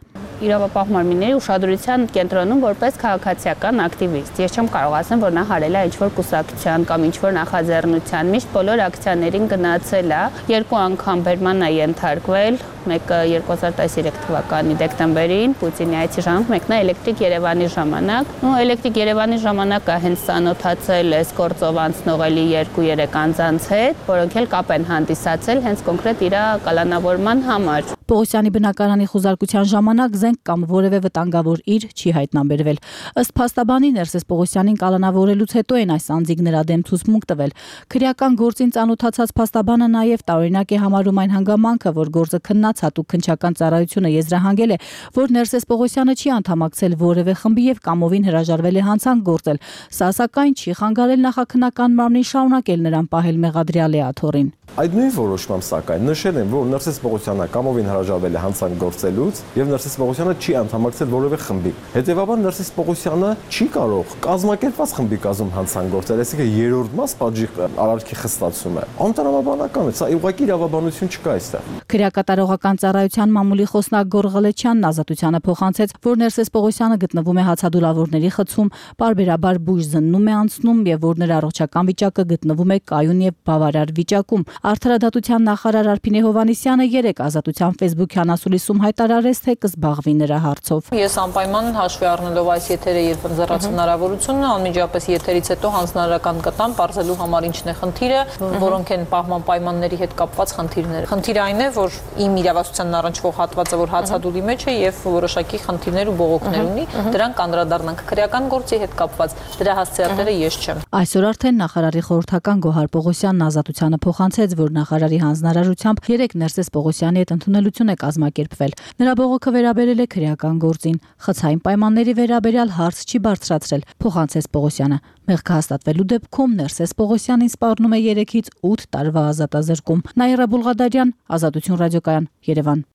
Իրավապահ մարմինների ուշադրության կենտրոնում որպես քաղաքացիական ակտիվիստ։ Ես չեմ կարող ասեմ, որ նա հարել է ինչ-որ կուսակցության կամ ինչ-որ նախաձեռնության, միշտ բոլոր ակցիաներին գնացել է, երկու անգամ բերման է ենթարկվել, մեկը երկու հազար տասներեք թվականի դեկտեմբերին Պուտինի այցի ժամանակ, մեկն է Էլեկտրիկ Երևանի ժամանակ։ Ու Էլեկտրիկ Երևանի ժամանակը հենց ծանոթացել էս գործով անցնող էլի երկու-երեք անձանց հետ, որոնք էլ կապ են հանդիսացել հենց կոնկրետ իր կալանավորման համար։ Պողոսյանի բնակարանի խուզարկության ժամանակ զենք կամ որևէ վտանգավոր իր չի հայտնաբերվել։ Ըստ փաստաբանի Ներսես Պողոսյանին կալանավորելուց հետո են այս անձիկ նրա դեմ ցուցմունք տվել։ Քրեական գործին ծանոթացած փաստաբանը նաև տարօրինակ է համարում այն հանգամանքը, որ գործը քննած հատուկ քննչական ծառայությունը եզրահանգել է, որ Ներսես Պողոսյանը չի անդամակցել որևէ խմբի եւ կամովին հրաժարվել է հանցանք գործել։ Սա սակայն չի խանգարել նախաքննական մարմնին շարունակել նրան պահել մեղադրյալ Էաթոռին։ Այդ նույն որոշմամբ սակայն նշել են, որ Ներսես Պողոսյանը կամովին հրաժարվել է հանցանք գործելուց եւ Ներսես Պողոսյանը չի անդամակցել որևէ խմբի։ Հետեւաբար Ներսես Պողոսյանը չի կարող կազմակերպված խմբի կազմում հանցանք գործել, այսինքն երրորդ մաս պատժի արարքի խստացում է։ Անտրամաբանական է, սա ուղղակի իրավաբանություն չկա այստեղ։ Քրեակատարողական ծառայության մամուլի խոսնակ Գոռ Ղլեչյանն ազատությանը փոխանցեց, որ Ներսես Պողոսյանը գտնվում է հացադուլավորների խցում, պարբերաբար բույժ զննում է անցնում եւ որ նրա առողջական վիճակը գտնվում է կայուն եւ բավարար վիճակում։ Արդարադատության նախարար Արփինե Հովհաննիսյանը երեկ ազատության Facebook-յան ասուլիսում հայտարարեց, թե կզբաղվի նրա հարցով։ Ես անպայման հաշվի առնելով այս եթերը երբ ընձեռած հնարավորությունը, անմիջապես եթերից հետո հանձնարարական կտամ բարձելու համար ինչն է խնդիրը, որոնք են պահման պայմանների հետ կապված խնդիրները։ Խնդիրը այն է, որ իմ իրավասության առնչվող հատվածը, որ հացադուլի մեջ է եւ որոշակի խնդիրներ ու բողոքներ ունի, դրանք կանդրադառնանք քրեական գործի հետ կապված։ Դրա հասցեատերը ես չեմ։ Այսօր արդեն նախարարի խորհրդական Գոհար Պողոսյանն ազատությանը փոխանցեց, որ նախարարի հանձնարարությամբ երեք Ներսես Պողոսյանի հետ ընդունելություն է կազմակերպվել։ Նրա բողոքը վերաբերել է քրեական գործին։ Խցային պայմանների վերաբերյալ հարց չի բարձրացրել, փոխանցեց Պողոսյանը։ Մեղքը հաստատվելու դեպքում Ներսես Պողոսյանին սպառնում է երեքից ութ տարվա ազատազրկում։ Նաիրա Բուլղադարյան, Ազատություն ռադիոկայան, Երևան։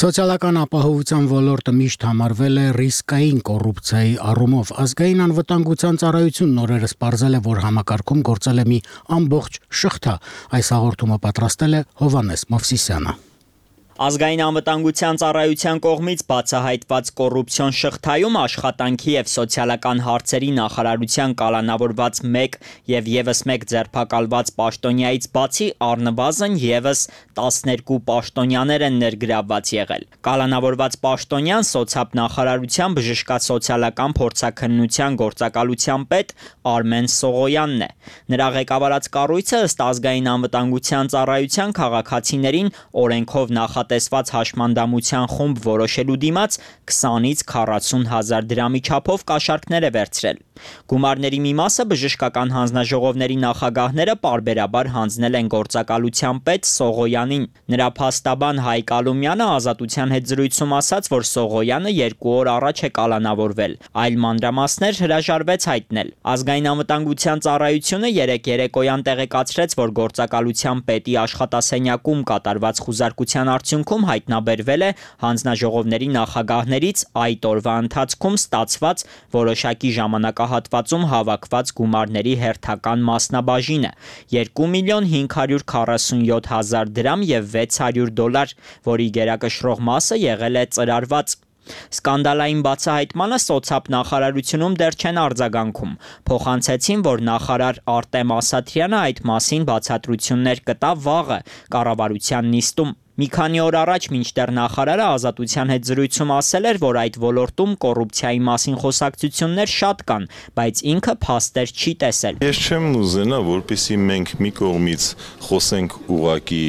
Սոցիալական ապահովության ոլորտը միշտ համարվել է ռիսկային կոռուպցիայի առումով։ Ազգային անվտանգության ծառայությունն օրերս պարզել է, որ համակարգում գործել է մի ամբողջ շղթա։ Այս հաղորդումը պատրաստել է Հովհաննես Մովսիսյանը։ Ազգային անվտանգության ծառայության կողմից բացահայտված կոռուպցիոն շղթայում աշխատանքի եւ սոցիալական հարցերի նախարարության կալանավորված մեկ եւ եւս մեկ ձերբակալված պաշտոնյայից բացի առնվազն եւս տասներկու պաշտոնյաներ են ներգրավված եղել։ Կալանավորված պաշտոնյան սոցիալ նախարարության բժշկասոցիալական փորձաքննության գործակալության պետ Արմեն Սողոյանն է։ Նրա ղեկավարած կառույցը ըստ ազգային անվտանգության ծառայության քաղաքացիներին օրենքով նախատեսված տեսված հաշմանդամության խումբ որոշելու դիմաց քսանից քառասուն հազար դրամի չափով կաշառքներ է վերցրել։ Գումարների մի մասը բժշկական հանձնաժողովների նախագահները պարբերաբար հանձնել են գործակալության պետ Սողոյանին։ Նրա փաստաբան Հայկ Ալումյանը ազատության հետ զրույցում ասաց, որ Սողոյանը երկու օր առաջ է կալանավորվել, այլ մանրամասներ հրաժարվեց հայտնել։ Ազգային անվտանգության ծառայությունը երեկ երեկոյան տեղեկացրեց, որ գործակալության պետի աշխատասենյակում կատարված խուզարկության արդյունքում հայտնաբերվել է հանձնաժողովների նախագահներից այդ օրվա ընթացքում ստացված որոշակի ժամանակահատվածում հավաքված գումարների հերթական մասնաբաժինը երկու միլիոն հինգ հարյուր քառասունյոթ հազար դրամ եւ վեց հարյուր դոլար, որի գերակշռող մասը եղել է ծրարված։ Սկանդալային բացահայտմանը սոցիալ նախարարությունում դեռ չեն արձագանքում։ Փոխանցեցին, որ նախարար Արտեմ Ասատրյանը այդ մասին բացատրություններ կտա վաղը կառավարության նիստում։ Մի քանի օր առաջ մինչդեռ նախարարը ազատության հետ զրույցում ասել էր, որ այդ ոլորտում կոռուպցիայի մասին խոսակցություններ շատ կան, բայց ինքը փաստեր չի տեսել։ Ես չեմ ուզենա, որպեսզի մենք մի կողմից խոսենք ուղակի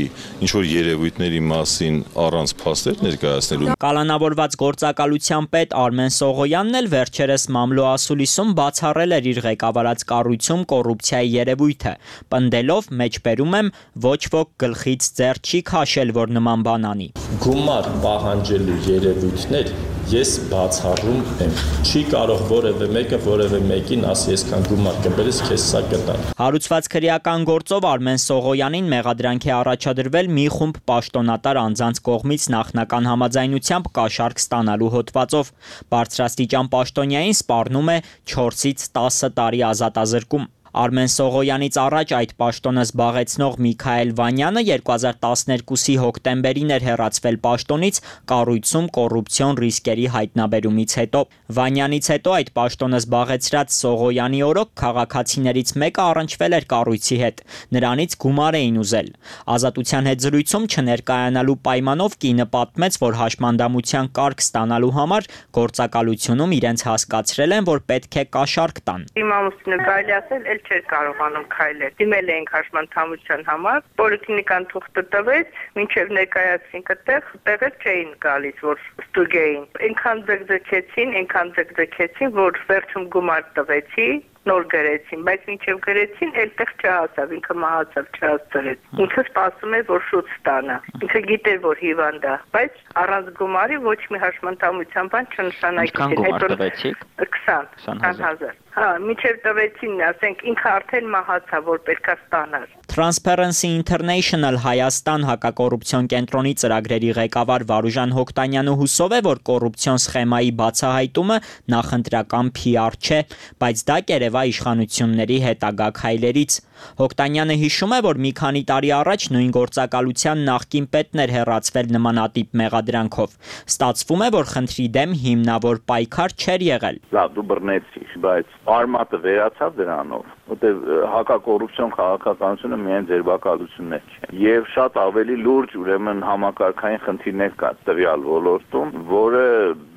ինչ-որ երևույթների մասին առանց փաստեր ներկայացնելու։ Կալանավորված գործակալության պետ Արմեն Սողոյանն էլ վերջերս մամլո ասուլիսում բացառել էր իր ղեկավարած կառույցում կոռուպցիայի երևույթը, պնդելով մեջբերում եմ ոչ ոք գլխից ձեռ չի քաշել, որ նման բան անի։ Գումար պահանջելու երևույթներ ես բացառում եմ։ Չի կարող որևէ մեկը որևէ մեկին ասի այսքան գումար կբերես, քեզ սա կտան։ Հարուցված քրեական գործով Արմեն Սողոյանին մեղադրանք է առաջադրվել մի խումբ պաշտոնատար անձանց կողմից նախնական համաձայնությամբ կաշառք ստանալու հոդվածով։ Բարձրաստիճան պաշտոնյային սպառնում է չորսից տասը տարի ազատազրկում։ Արմեն Սողոյանից առաջ այդ պաշտոնը զբաղեցնող Միքայել Վանյանը երկու հազար տասներկուսի հոկտեմբերին էր հեռացվել պաշտոնից կառույցում կոռուպցիոն ռիսկերի հայտնաբերումից հետո։ Վանյանից հետո այդ պաշտոնը զբաղեցրած Սողոյանի օրոք քաղաքացիներից մեկը առնչվել էր կառույցի հետ։ Նրանից գումար էին ուզել։ Ազատության հետ զրույցում չներկայանալու պայմանով կինը պատմեց, որ հաշմանդամության կարգ ստանալու համար գործակալությունում իրենց հասկացրել են, որ պետք է կաշառք տան։ Իմ ամուսինը կարելի ասել էլ չէր կարողանում քայլել։ Դիմել էինք հաշմանդամության համար, պոլիկլինիկան թուղթը տվեց, մինչև ներկայացին այդտեղ, տեղը չէին գալիս, որ ստուգեին։ Այնքան ձգձգեցին, այնքան ձգձգեցին, որ վերջում գումար տվեցի, նոր գրեցին, բայց մինչև գրեցին, այլտեղ չհասավ, ինքը մահացավ, չհասցրեց։ Ինքը սպասում էր, որ շուտ ստանա։ Ինքը գիտեր, որ հիվանդ է, բայց առանց գումարի ոչ մի հաշմանդամության բան չնշանակեցին։ Գումար տվեցիք։ քսան հազար։ Հա, մինչև տվեցին, ասենք, ինքը արդեն մահացավ, որ պետքա ստանար։ Transparency International Հայաստան հակակոռուպցիոն կենտրոնի ծրագրերի ղեկավար Վարուժան Հոկտանյանը հուսով է, որ կոռուպցիոն սխեմայի բացահայտումը նախընտրական P R չէ, բայց դա կերևա իշխանությունների հետագա քայլերից։ Հոկտանյանը հիշում է, որ մի քանի տարի առաջ նույն գործակալության նախկին պետն էր հեռացվել նմանատիպ մեղադրանքով։ Ստացվում է, որ խնդրի դեմ հիմնավոր պայքար չէր եղել։ Լավ, դու բռնեցիր, բայց արմատը վերացավ դրանով, որտեղ հակակոռուպցիոն քաղաքականությունը միայն ձերբակալություններ չէ։ Եվ շատ ավելի լուրջ ուրեմն համակարգային խնդիրներ կա տվյալ ոլորտում, որը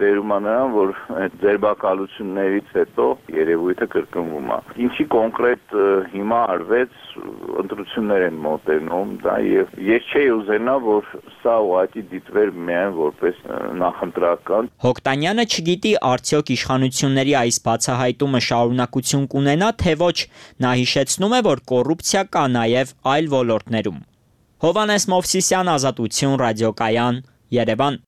բերում է նրան, որ այդ ձերբակալություններից հետո երևույթը կրկնվում է։ Ինչի կոնկրետ հիմա արվեց, ընտրություններ են մոտենում, դա եւ ես չէի ուզենա, որ սա ուղղակի դիտվեր միայն որպես նախընտրական։ Հոկտանյանը չգիտի արդյոք իշխանությունների այս բացահայտումը շարունակություն կունենա, թե ոչ։ Նա հիշեցնում է, որ կոռուպցիա կա նաև այլ ոլորտներում։ Հովհաննես Մովսիսյան, Ազատություն, Ռադիոկայան, Երևան։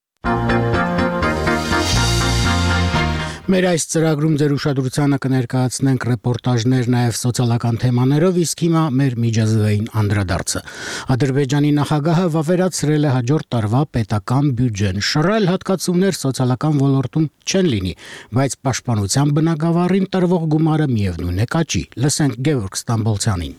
Մեր այս ծրագրում ձեր ուշադրությանը կներկայացնենք ռեպորտաժներ նաև սոցիալական թեմաներով, իսկ հիմա մեր միջազգային անդրադարձը։ Ադրբեջանի նախագահը վավերացրել է հաջորդ տարվա պետական բյուջեն։ Շռայլ հատկացումներ սոցիալական ոլորտում չեն լինի, բայց պաշտպանության բնագավառին տրվող գումարը միևնույն է կաճի։ Լսենք Գևորգ Ստամբոլցյանին։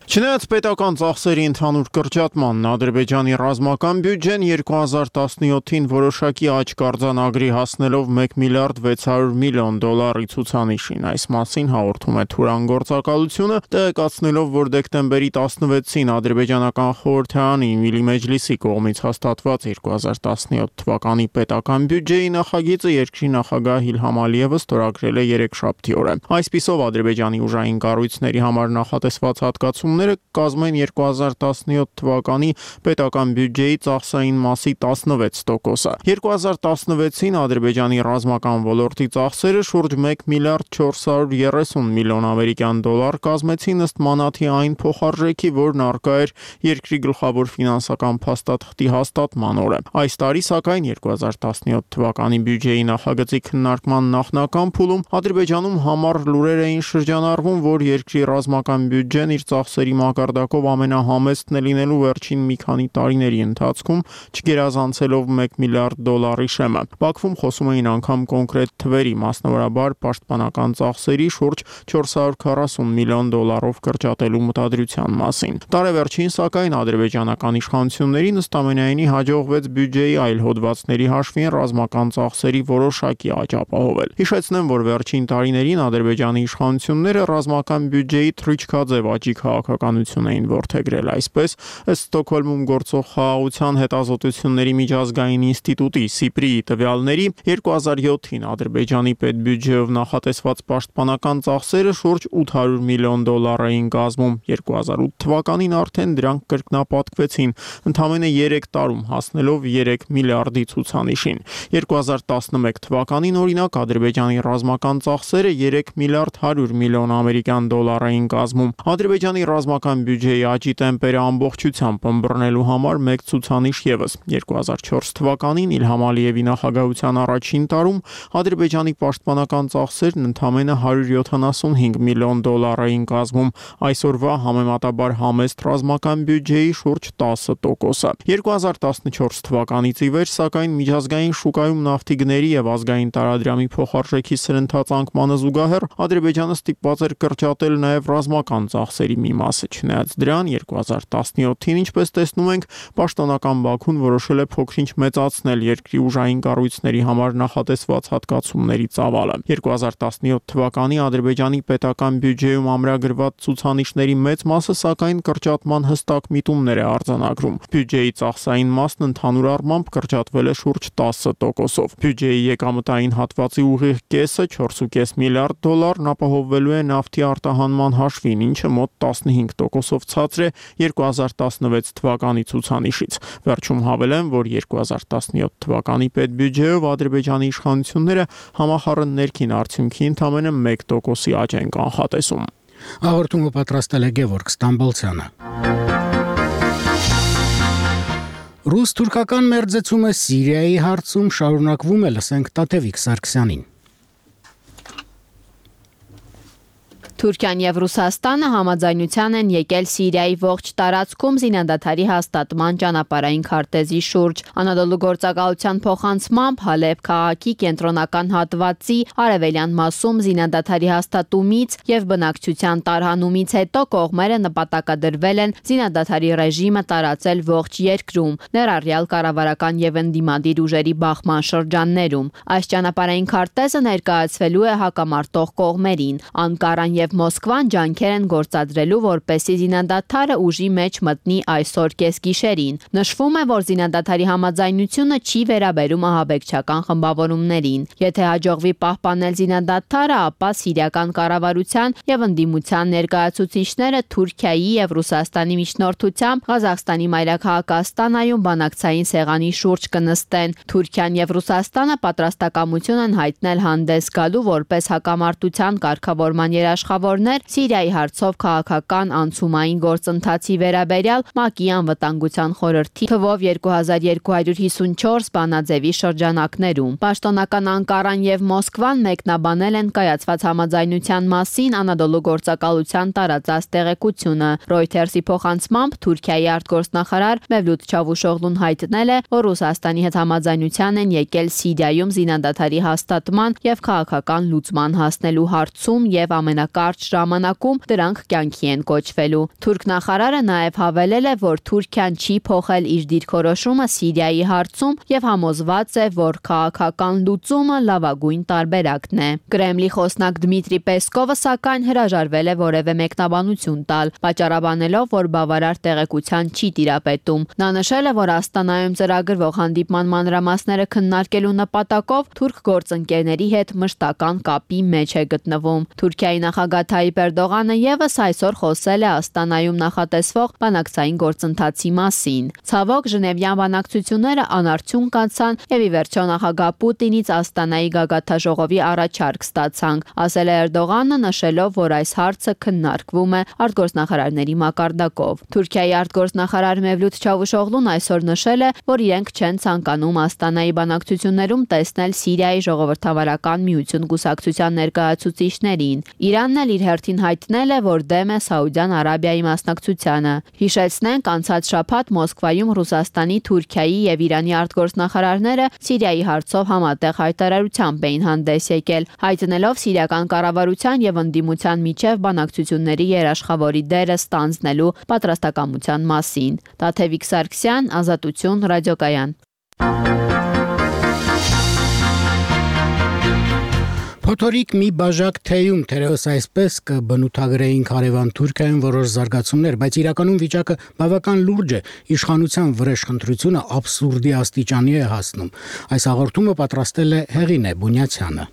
Չնայած պետական ծախսերի ընդհանուր կրճատմանն, Ադրբեջանի ռազմական բյուջեն երկու հազար տասնյոթին որոշակի աճ արձանագրի հասնելով մեկ միլիարդ վեց հարյուր միլիոն դոլարի ցուցանիշին։ Այս մասին հաղորդում է Թուրան գործակալությունը, տեղեկացնելով, որ դեկտեմբերի տասնվեցին ադրբեջանական խորհրդարանի Միլի Մեջլիսի կողմից հաստատված երկու հազար տասնյոթ թվականի պետական բյուջեի նախագիծը երկրի նախագահ Իլհամ Ալիևը ստորագրել է երեքշաբթի օրը։ Այսպիսով Ադրբեջանի ուժային կառույցների համար նախատեսված հատկացում կազմեն երկու հազար տասնյոթ թվականի պետական բյուջեի ծախսային մասի տասնվեց տոկոսը։ երկու հազար տասնվեցին Ադրբեջանի ռազմական ոլորտի ծախսերը շուրջ մեկ միլիարդ չորս հարյուր երեսուն միլիոն ամերիկյան դոլար կազմեցին ըստ մանաթի այն փոխարժեքի, որն առկա էր երկրի գլխավոր ֆինանսական փաստաթղթի հաստատման օրը։ Այս տարի, սակայն, երկու հազար տասնյոթ թվականի բյուջեի նախագծի քննարկման նախնական փուլում Ադրբեջանում համառ լուրեր էին շրջանառվում, որ երկրի ռազմական բյուջեն իր ծախսերի մակարդակով ամենահամեստն է լինելու վերջին մի քանի տարիների ընթացքում, չգերազանցելով մեկ միլիարդ դոլարի շեմը։ Բաքվում խոսում էին անգամ կոնկրետ թվերի, մասնավորաբար պաշտպանական ծախսերի շուրջ չորս հարյուր քառասուն միլիոն դոլարով կրճատելու մտադրության մասին։ Տարեվերջին, սակայն, ադրբեջանական իշխանություններին ըստամենայնի հաջողվեց բյուջեի այլ հոդվածների հաշվին ռազմական ծախսերի որոշակի աճ ապահովել։ Հիշեցնեմ, որ վերջին տարիներին Ադրբեջանի իշխանությունները ռազմական բյուջեի թռիչքաձև աճի քաղաքականություն էին որդեգրել։ Այսպես, ըստ Ստոկհոլմում գործող խաղաղության հետազոտությունների միջազգային ինստիտուտի Սիպրիի տվյալների, երկու հազար յոթին Ադրբեջանի պետբյուջեով նախատեսված պաշտպանական ծախսերը շուրջ ութ հարյուր միլիոն դոլար էին կազմում։ երկու հազար ութ թվականին արդեն դրանք կրկնապատկվեցին, ընդամենը երեք տարում հասնելով երեք միլիարդի ցուցանիշին։ երկու հազար տասնմեկ թվականին, օրինակ, Ադրբեջանի ռազմական ծախսերը երեք միլիարդ հարյուր միլիոն ամերիկյան դոլար էին կազմում։ Ադրբեջանի ռազմական բյուջեի աճի տեմպերը ամբողջությամբ ըմբռնելու համար մեկ ցուցանիշ ևս։ երկու հազար չորս թվականին Իլհամ Ալիևի նախագահության առաջին տարում Ադրբեջանի պաշտպանական ծախսերն ընդամենը հարյուր յոթանասունհինգ միլիոն դոլար էին կազմում, այսօրվա համեմատաբար համեստ ռազմական բյուջեի շուրջ տասը տոկոսը։ երկու հազար տասնչորս թվականից ի վեր, սակայն միջազգային շուկայում նավթի գների եւ ազգային տարադրամի փոխարժեքի սրընթաց անկմանը զուգահեռ Ադրբեջանը ստիպված էր կրճատել նաեւ ռազմական ծախսերի մի մասը։ Չնայած դրան, երկու հազար տասնյոթին, ինչպես տեսնում ենք, պաշտոնական Բաքուն որոշել է փոքրինչ մեծացնել երկրի ուժային կառույցների համար նախատեսված հատկացումների ծավալը։ երկու հազար տասնյոթ թվականի Ադրբեջանի պետական բյուջեում ամրագրված ցուցանիշների մեծ մասը սակայն կրճատման հստակ միտումներ է արձանագրում։ Բյուջեի ծախսային մասն ընդհանուր առմամբ կրճատվել է շուրջ տասը տոկոսով։ Բյուջեի եկամտային հատվածի ուղիղ կեսը չորս կόμμα պենս միլիարդ դոլարն ապահովվելու է նավթի արտահանման հաշվին, ինչը մոտ տասնհինգ տոկոսով ցածր է երկու հազար տասնվեց թվականի ցուցանիշից։ Վերջում հավելեմ, որ երկու հազար տասնյոթ թվականի պետբյուջեով Ադրբեջանի իշխանությունները համախառն ներքին արդյունքի ընդամենը մեկ տոկոսի աճ են կանխատեսում։ Հաղորդումը պատրաստել է Գևորգ Ստամբոլցյանը։ Ռուս-թուրքական մերձեցումը Սիրիայի հարցում շարունակվում է, լսենք Տաթևիկ Սարգսյանին։ Թուրքիան եւ Ռուսաստանը համաձայնության են եկել Սիրիայի ողջ տարածքում զինադադարի հաստատման ճանապարհային քարտեզի շուրջ։ Անադոլու գործակալության փոխանցմամբ Հալեբ քաղաքի կենտրոնական հատվածի արևելյան մասում զինադադարի հաստատումից եւ բնակչության տարհանումից հետո կողմերը նպատակադրվել են զինադադարի ռեժիմը տարածել ողջ երկրում, ներառյալ կառավարական եւ ընդդիմադիր ուժերի բախման շրջաններում։ Այս ճանապարհային քարտեզը ներկայացվելու է հակամարտող կողմերին։ Անկարան եւ Մոսկվան ջանքեր են գործադրելու, որպեսզի զինադադարը ուժի մեջ մտնի այսօր կեսգիշերին։ Նշվում է, որ զինադադարի համաձայնությունը չի վերաբերում ահաբեկչական խմբավորումներին։ Եթե հաջողվի պահպանել զինադադարը, ապա սիրիական կառավարության եւ ընդդիմության ներկայացուցիչները Թուրքիայի եւ Ռուսաստանի միջնորդությամբ Ղազախստանի մայրաքաղաք Աստանայում բանակցային սեղանի շուրջ կնստեն։ Թուրքիան եւ Ռուսաստանը պատրաստակամություն են հայտնել հանդես գալու որպես հակամարտության կարգավորման երաշխավորներ Սիրիայի հարցով քաղաքական անցումային գործընթացի վերաբերյալ ՄԱԿ-ի անվտանգության խորհրդի թվով երկու հազար երկու հարյուր հիսունչորս բանաձևի շրջանակներում։ Պաշտոնական Անկարան եւ Մոսկվան մեկնաբանել են կայացված համաձայնության մասին Անադոլու գործակալության տարածած տեղեկությունը։ Reuters-ի փոխանցմամբ Թուրքիայի արտգործնախարար Մևլութ Չավուշօղլուն հայտնել է, որ Ռուսաստանի հետ համաձայնության են եկել Սիրիայում զինադադարի հաստատման եւ քաղաքական լուծման հասնելու հարցում եւ ամենակարճ ժամանակում դրանք կյանքի են կոչվելու։ Թուրք նախարարը նաև հավելել է, որ Թուրքիան չի փոխել իր դիրքորոշումը Սիրիայի հարցում եւ համոզված է, որ քաղաքական լուծումը լավագույն տարբերակն է։ Կրեմլի խոսնակ Դմիտրի Պեսկովը սակայն հրաժարվել է որևէ մեկնաբանություն տալ, պատճառաբանելով, որ բավարար տեղեկության չի տիրապետում։ Նա նշել է, որ Աստանայում ծրագրվող հանդիպման մանրամասները քննարկելու նպատակով թուրք գործընկերների հետ մշտական կապի մեջ է գտնվում։ Թուրքիայի նախագահ Թայիպ Էրդողանը եւս այսօր խոսել է Աստանայում նախատեսվող բանակցային գործընթացի մասին։ Ցավոք, Ժնևյան բանակցությունները անարդյունք անցան եւ ի վերջո նախագահ Պուտինից Աստանայի գագաթաժողովի առաջարկ ստացանք, ասել է Էրդողանը, նշելով, որ այս հարցը քննարկվում է արտգործնախարարների մակարդակով։ Թուրքիայի արտգործնախարար Մևլութ Չավուշօղլուն այսօր նշել է, որ իրենք չեն ցանկանում Աստանայի բանակցություններում տեսնել Սիրիայի ժողովրդավարական միություն կուսակցության ներկայացուցիչներին։ Իրանն էլ իր հերթին հայտնել է, որ դեմ է Սաուդյան Արաբիայի մասնակցությանը։ Հիշեցնենք, անցած շաբաթ Մոսկվայում Ռուսաստանի, Թուրքիայի եւ Իրանի արտգործնախարարները Սիրիայի հարցով համատեղ հայտարարությամբ էին հանդես եկել, հայտնելով սիրիական կառավարության եւ ընդդիմության միջև բանակցությունների երաշխավորի դերը ստանձնելու պատրաստակամության մասին։ Տաթևիկ Սարգսյան, Ազատություն, ռադիոկայան։ Փոթորիկ մի բաժակ թեյում թերևս այսպես կբնութագրեին Կարևան Թուրքիայում որոշ զարգացումներ, բայց իրականում վիճակը բավական լուրջ է, իշխանության վրեժխնդրությունը աբսուրդի աստիճանի է հասնում։ Այս հաղորդումը պատրաստել է Հեղինե Բունյացյանը։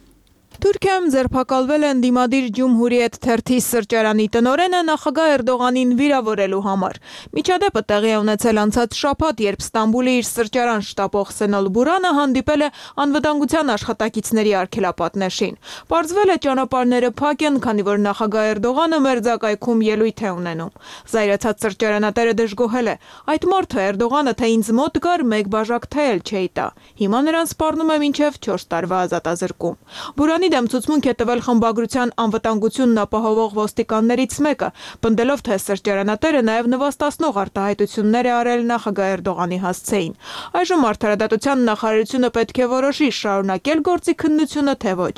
Թուրքիայում ձերբակալվել են դիմադիր Ջումհուրիետ թերթի սրճարանի տնօրենը նախագահ Էրդողանին վիրավորելու համար։ Միջադեպը տեղի է ունեցել անցած շաբաթ, երբ Ստամբուլի իր սրճարան շտապող Սենոլ Բուրանը հանդիպել է անվտանգության աշխատակիցների արգելապատնեշին։ Պարզվել է ճանապարհները փակ են, քանի որ նախագահ Էրդողանը մերձակայքում ելույթ է ունենում։ Զայրացած սրճարանատերը դժգոհել է. այդ մարդը Էրդողանը թե ինձ մոտ գար, մեկ բաժակ թե էլ չէի տա։ Հիմա նրան սպառնում է մինչև չորս տարվա ազատազրկում։ Բուրանի դեմ ցուցմունք է տվել խմբագրության անվտանգությունն ապահովող ոստիկաններից մեկը, պնդելով, թե սրճարանատերը նաև նվաստացնող արտահայտություններ է արել նախագահ Էրդողանի հասցեին։ Այժմ Արդարադատության նախարարությունը պետք է որոշի շարունակել գործի քննությունը, թե ոչ։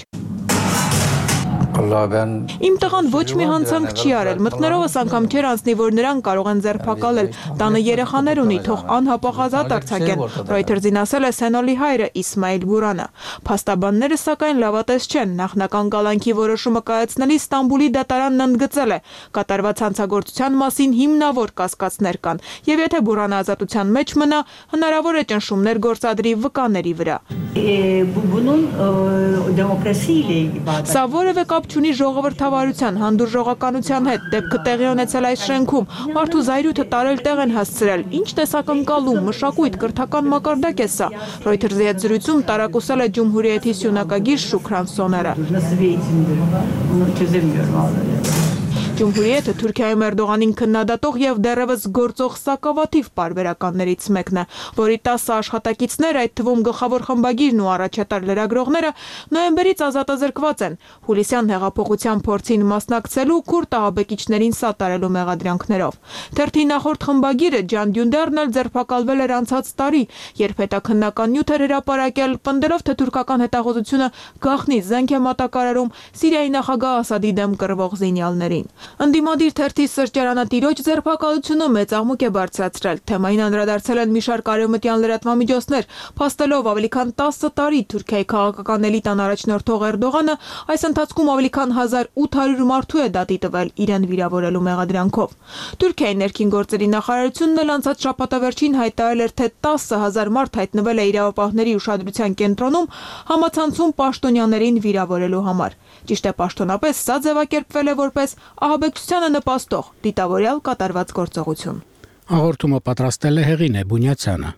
Իմ տղան ոչ մի հանցանք չի արել, մտներովս անգամ չեր անցնի, որ նրան կարող են ձերբակալել, տանը երեխաներ ունի, թող անհապաղ ազատ արձակեն, Reuters-ին ասել է Սենոլի հայրը Իսմայիլ Բուրանը։ Փաստաբանները սակայն լավատես չեն, նախնական կալանքի որոշումը կայացնելիս Ստամբուլի դատարանն ընդգծել է, կատարված հանցագործության մասին հիմնավոր կասկածներ կան, եւ եթե Բուրանը ազատության մեջ մնա, հնարավոր է ճնշումներ գործադրի վկաների վրա։ Սա որևէ կապ չունի ժողովրդավարության, հանդուրժողականության հետ, դեպքը տեղի ունեցել այս շենքում, մարդու զայրույթը տարել տեղ են հասցրել, ինչ տեսակ ընկալում, մշակույթ, կրթական մակարդակ է սա։ Reuters-ի հետ զրույցում տարակուսել է Ջումհուրիեթի սյունակագիր Շուքրան Սոները։ Ջումհուրիեթը Թուրքիայում Էրդողանին քննադատող եւ դեռևս գործող սակավաթիվ պարբերականներից մեկն է, որի տասը աշխատակիցներ, այդ թվում գլխավոր խմբագիրն ու առաջատար լրագրողները նոյեմբերից ազատազրկված են հուլիսյան հեղափոխության փորձին մասնակցելու քուրդ ահաբեկիչներին սատարելու մեղադրանքներով։ Թերթի նախորդ խմբագիրը Ջան Դյունդերն էլ ձերբակալվել էր անցած տարի, երբ հետաքննական նյութ էր հրապարակել, պնդելով, թե թուրքական հետախուզությունը գաղտնի զենք է մատակարարում Սիրիայի նախագահ Ասադի դեմ կռվող զինյալներին։ Ընդդիմադիր թերթի սրճարանատիրոջ ձերբակալությունը մեծ աղմուկ է բարձրացրել։ Թեմային անդրադարձել են մի շարք արևմտյան լրատվամիջոցներ, փաստելով ավելի քան տասը տարի Թուրքիայի քաղաքական էլիտան առաջնորդող Էրդողանը այս ընթացքում ավելի քան հազար ութ հարյուր մարդու է դատի տվել իրեն վիրավորելու մեղադրանքով։ Թուրքիայի ներքին գործերի նախարարությունն էլ անցած շաբաթավերջին հայտարարել էր, թե տասը հազար մարդ հայտնվել է իրավապահների ուշադրության կենտրոնում համացանցում պաշտոնյաներին վիրավորելու համար։ Ճիշտ է, պաշտոնապես սա ձևակերպվել է որպես ահաբեկչությանը նպաստող դիտավորյալ կատարված գործողություն։ Հաղորդումը պատրաստել է Հեղինե Բունյացյանը։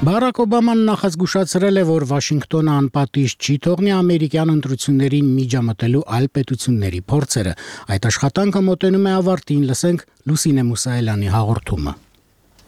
Բարակ Օբաման նախազգուշացրել է, որ Վաշինգտոնը անպատիժ չի թողնի ամերիկյան ընտրություններին միջամտելու այլ պետությունների փորձերը։ Այդ աշխատանքը մոտենում է ավարտին, լսենք Լուսինե Մուսայելյանի հաղորդումը։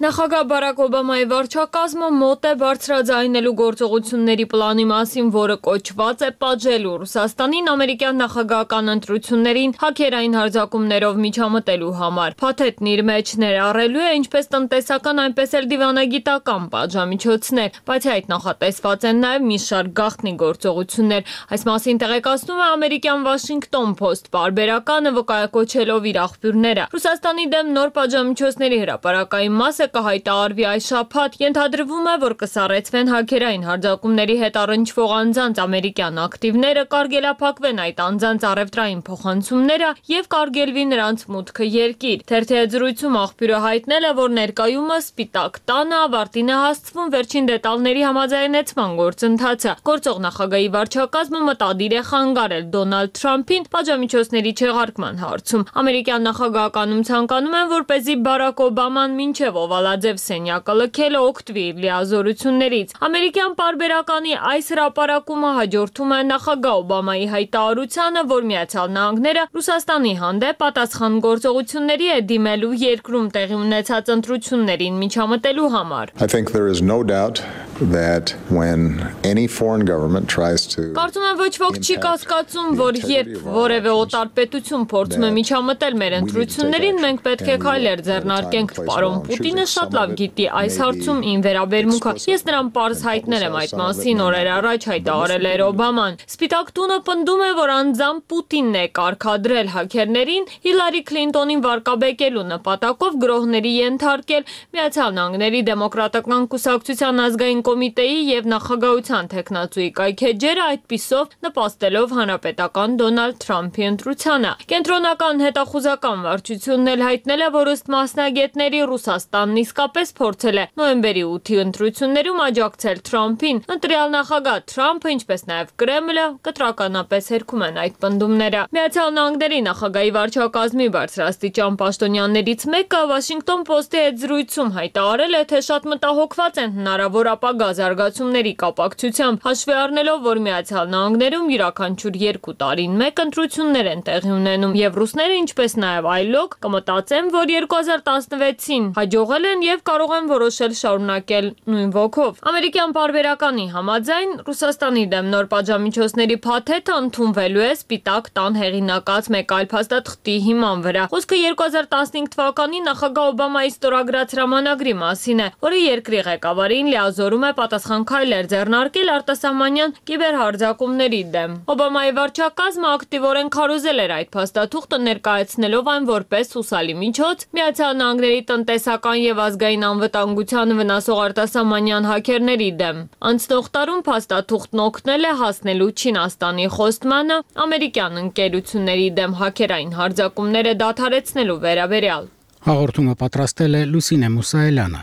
Նախագահ Բարակ Օբամայի վարչակազմը մոտ է բարձրաձայնելու գործողությունների պլանի մասին, որը կոչված է պատժելու Ռուսաստանին ամերիկյան նախագահական ընտրություններին հաքերային հարձակումներով միջամտելու համար։ Փաթեթն իր մեջ ներառելու է ինչպես տնտեսական, այնպես էլ դիվանագիտական պատժամիջոցներ, բայց այդ նախատեսված են նաև մի շարք գաղտնի գործողություններ։ Այս մասին տեղեկացնում է ամերիկյան Washington Post պարբերականը, վկայակոչելով իր աղբյուրները։ Ռուսաստանի դեմ նոր պատժամիջոցների հրապարակային մասը կհայտարարվի այս շաբաթ, ենթադրվում է, որ կսառեցվեն հաքերային հարձակումների հետ առնչվող անձանց ամերիկյան ակտիվները, կարգելափակվեն այդ անձանց առևտրային փոխանցումները եւ կարգելվի նրանց մուտքը երկիր։ Թերթի հետ զրույցում աղբյուրը հայտնել է, որ ներկայումս Սպիտակ տանը ավարտին է հասցվում վերջին դետալների համաձայնեցման գործընթացը։ Գործող նախագահի վարչակազմը մտադիր է խանգարել Դոնալդ Թրամփին պատժամիջոցների չեղարկման հարցում։ Ամերիկյան նախագահականում ցանկանում են, որպեսզի Բարակ Օբաման մինչև Լաձև սենյակը լքելը օգտվի իր լիազորություններից։ Ամերիկյան պարբերականի այս հրապարակումը հաջորդում է նախագահ Օբամայի հայտարարությանը, որ Միացյալ Նահանգները Ռուսաստանի հանդեպ պատասխան գործողությունների է դիմելու երկրում տեղի ունեցած ընտրություններին միջամտելու համար։ I think there is no doubt that when any foreign government tries to Կարծում եմ ոչ ոք չի կասկածում, որ երբ որևէ օտար պետություն փորձում է միջամտել մեր ընտրություններին, մենք պետք է քայլեր ձեռնարկենք։ Պարոն Պուտինը շատ լավ գիտի այս հարցում ին վերաբերմունքը։ Ես նրան պարզ հայտնել եմ այդ մասին օրեր առաջ, հայտարարել էր Օբաման։ Սպիտակ տունը պնդում է, որ անձամբ Պուտինն է կարգադրել հաքերներին Հիլարի Քլինտոնին վարկաբեկելու նպատակով գրոհների ենթարկել Միացյալ Նահանգների դեմոկրատական կուսակցության ազգային կոմիտեի եւ նախագահության տեխնացուի կայքեջերը, այդպիսով նպաստելով հանրապետական Դոնալդ Թրամփի ընտրությանը։ Կենտրոնական հետախուզական վարչությունն էլ հայտնել է, որ ըստ մասնագետների Ռուսաստանն իսկապես փորձել է նոյեմբերի ութի ընտրություններում աջակցել Թրամփին։ Ընտրյալ նախագահ Թրամփը, ինչպես նաեւ Կրեմլը, կտրականապես հերքում են այդ պնդումները։ Միացյալ Նահանգների նախագահի վարչակազմի բարձրաստիճան պաշտոնյաներից մեկը Washington Post-ի հետ զրույցում հայտարարել է, թե շատ մտահոգված են հնարավոր ապագա զարգացումների կապակցությամբ, հաշվի առնելով, որ Միացյալ Նահանգներում յուրաքանչյուր երկու տարին մեկ ընտրություններ են տեղի ունենում, եւ ռուսները, ինչպես նաեւ այլոք, կմտածեն, որ երկու հազար տասնվեցին հաջողել են եւ կարող են որոշել շարունակել նույն ոգով։ Ամերիկյան պարբերականի համաձայն Ռուսաստանի դեմ նոր պատժամիջոցների փաթեթը ընդունվելու է Սպիտակ տան հեղինակած մեկ այլ փաստաթղթի հիման վրա։ Խոսքը երկու հազար տասնհինգ թվականի նախագահ Օբամայի ստորագրած հրամանագրի մասին է, որը երկրի ղեկավարին լիազորում է պատասխան քայլեր ձեռնարկել արտասահմանյան կիբերհարձակումների դեմ։ Օբամայի վարչակազմը ակտիվորեն քարոզել էր այդ փաստաթուղթը, ներկայացնելով այն որպես հուսալի միջոց Միացյալ Նահանգների տնտեսական եւ ազգային անվտանգությանը վնասող արտասահմանյան հաքերների դեմ։ Անցնող տարում փաստաթուղթն օգնել է հասնելու Չինաստանի խոստմանը ամերիկյան ընկերությունների դեմ հաքերային հարձակումները դադարեցնելու վերաբերյալ։ Հաղորդումը պատրաստել է Լուսինե Մուսայելյանը։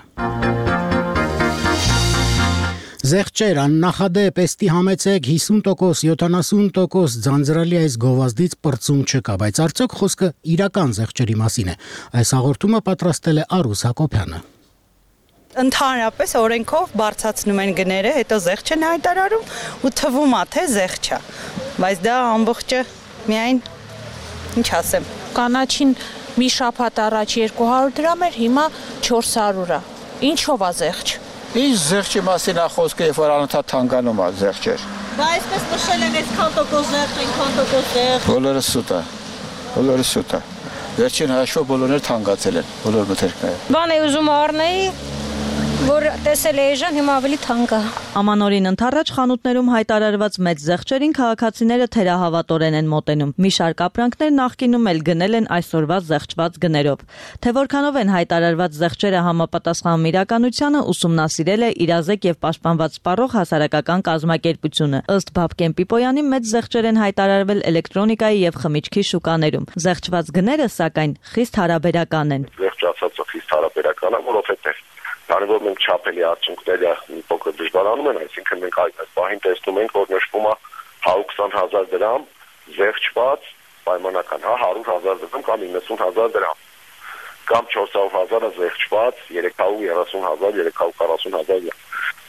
Զեղչեր աննախադեպ էստի համեցեք հիսուն տոկոս, յոթանասուն տոկոս ձանձրալի այս գովազդից պրծում չկա, բայց արդյոք խոսքը իրական զեղչերի մասին է։ Այս հաղորդումը պատրաստել է Արուս Հակոբյանը։ Ընդհանրապես օրենքով բարձրացնում են գները, հետո զեղչ են հայտարարում ու թվում է թե զեղչ է, բայց դա ամբողջը միայն ինչ ասեմ, կանաչին մի շաբաթ առաջ երկու հարյուր դրամ էր, հիմա չորս հարյուր է։ Ինչով է զեղչ։ Ինչ զեղչի մասին է խոսքը, երբ որ անընդհատ թանկանում է զեղչեր։ Դա այսպես նշել են այսքան տոկոս զեղչ, այնքան տոկոս զեղչ։ Բոլորը սուտ է։ Բոլորը սուտ է։ Վերջին հաշվով բոլորները թանկացել են, բոլոր մթերքները։ Բան է ուզում առնեի, որ տեսել է էժան, հիմա ավելի թանկ է։ Ամանորին ընթառաջ խանութներում հայտարարված մեծ զեղչերին քաղաքացիները թերահավատորեն են մոտենում։ Մի շարք ապրանքներ նախկինում էլ գնել են այսօրվա զեղչված գներով։ Թե որքանով են հայտարարված զեղչերը համապատասխանում իրականությանը, ուսումնասիրել է իրազեկ եւ պաշտպանված սպառող հասարակական կազմակերպությունը։ Ըստ Բաբկեն Պիպոյանի մեծ զեղչեր են հայտարարվել էլեկտրոնիկայի եւ խմիչքի շուկաներում։ Զեղչված գները, սակայն, խիստ հարաբերական են։ Զեղչացածը խիստ հարաբերական է, որովհետեւ Քանի որ մենք չափելի արդյունքները մի փոքր դժվարանում են, այսինքն մենք այս պահին տեսնում ենք, որ նշվում է հարյուր քսան հազար դրամ զեղչված պայմանական, հա հարյուր հազար դրամ կամ իննսուն հազար դրամ, կամ չորս հարյուր հազարը զեղչված երեք հարյուր երեսուն հազար, երեք հարյուր քառասուն հազար։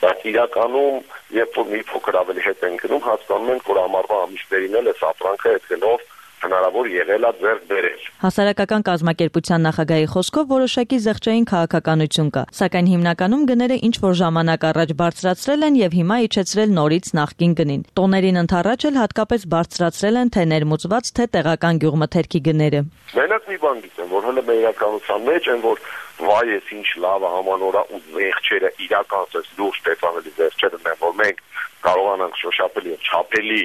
Բայց իրականում, երբ որ մի փոքր ավելի հետ են գնում, հասկանում ենք, որ ամառվա ամիսներին էլ այս ապրանքը հետ գնով հնարավոր եղել է ձեռք բերել։ Հասարակական կազմակերպության նախագահի խոսքով որոշակի զեղչային քաղաքականություն կա, սակայն հիմնականում գները ինչ որ ժամանակ առաջ բարձրացրել են եւ հիմա իջեցրել նորից նախկին գնին։ Տոներին ընթառաջ էլ հատկապես բարձրացրել են թե ներմուծված, թե տեղական գյուղմթերքի գները։ Մենակ մի բան գիտեմ, որ հələ մեր իրականության մեջ են, որ վայ էս ինչ լավ է համանորա ու զեղչերը իրական սես լուրջ տեսանելի զեղչերը են, որ մենք կարողանանք շոշափել եւ չափելի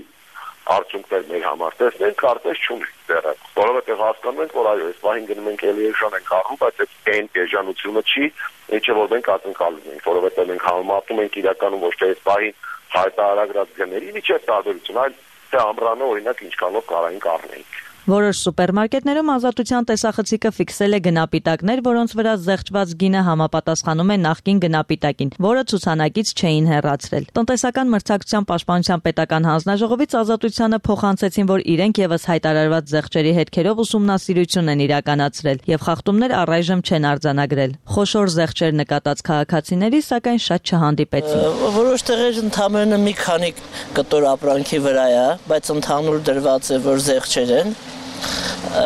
արդյունքներ մեր համար տեսնենք, կարծես չունենք դեռ։ Որովհետև հասկանում ենք, որ այո, այս պահին գնում ենք էլի էժան ենք առնում, բայց այդ էժանությունը չի, ինչը որ մենք ակնկալում ենք, որովհետև մենք համեմատում ենք իրականում ոչ թե այս պահին հայտարարած գների միջև տարբերություն, այլ թե ամռանը օրինակ ինչքանով կարային կառնենք։ Որոշ սուպերմարկետներում ազատության տեսախցիկը ֆիքսել է գնապիտակներ, որոնց վրա զեղչված գինը համապատասխանում է նախկին գնապիտակին, որը ցուցանակից չէին հեռացրել։ Տնտեսական մրցակցության պաշտպանության պետական հանձնաժողովից ազատությանը փոխանցեցին, որ իրենք եւս հայտարարված զեղչերի հետքերով ուսումնասիրություն են իրականացրել եւ խախտումներ առայժմ չեն արձանագրել։ Խոշոր զեղչեր նկատած քաղաքացիների, սակայն շատ չհանդիպեցին։ Որոշ տեղեր ընդհանրապես մի քանի կտոր ապրանքի վրա է, բայց ընդհանուր դրված է, որ զեղչեր են։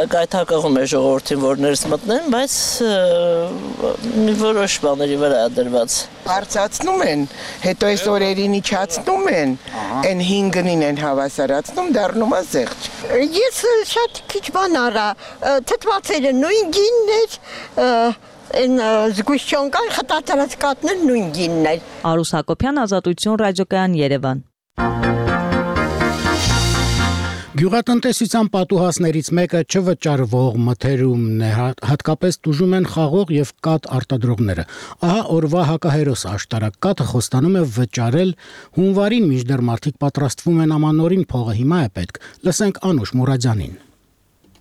Գայթակղում է ժողովրդին, որ ներս մտնեն, բայց մի որոշ բաների վրա է դրված։ Բարձրացնում են, հետո այս օրերին իջացնում են, այն հինգնին են հավասարացնում, դառնում է զեղչ։ Ես շատ քիչ բան արա, թթվածերը նույն գինն էր, այն զգուշչոնկան խտացրած կատներ նույն գինն էր։ Արուս Հակոբյան, Ազատություն, ռադիոկայան, Երևան։ Գյուղատնտեսության պատուհասներից մեկը չվճարվող մթերումն է, հատկապես տուժում են խաղող եւ կաթ արտադրողները։ Ահա օրվա հակահերոս աշտարակ կաթը խոստանում է վճարել հունվարին, մինչդեռ մարդիկ պատրաստվում են ամանորին, փողը հիմա է պետք։ Լսենք Անուշ Մուրադյանին։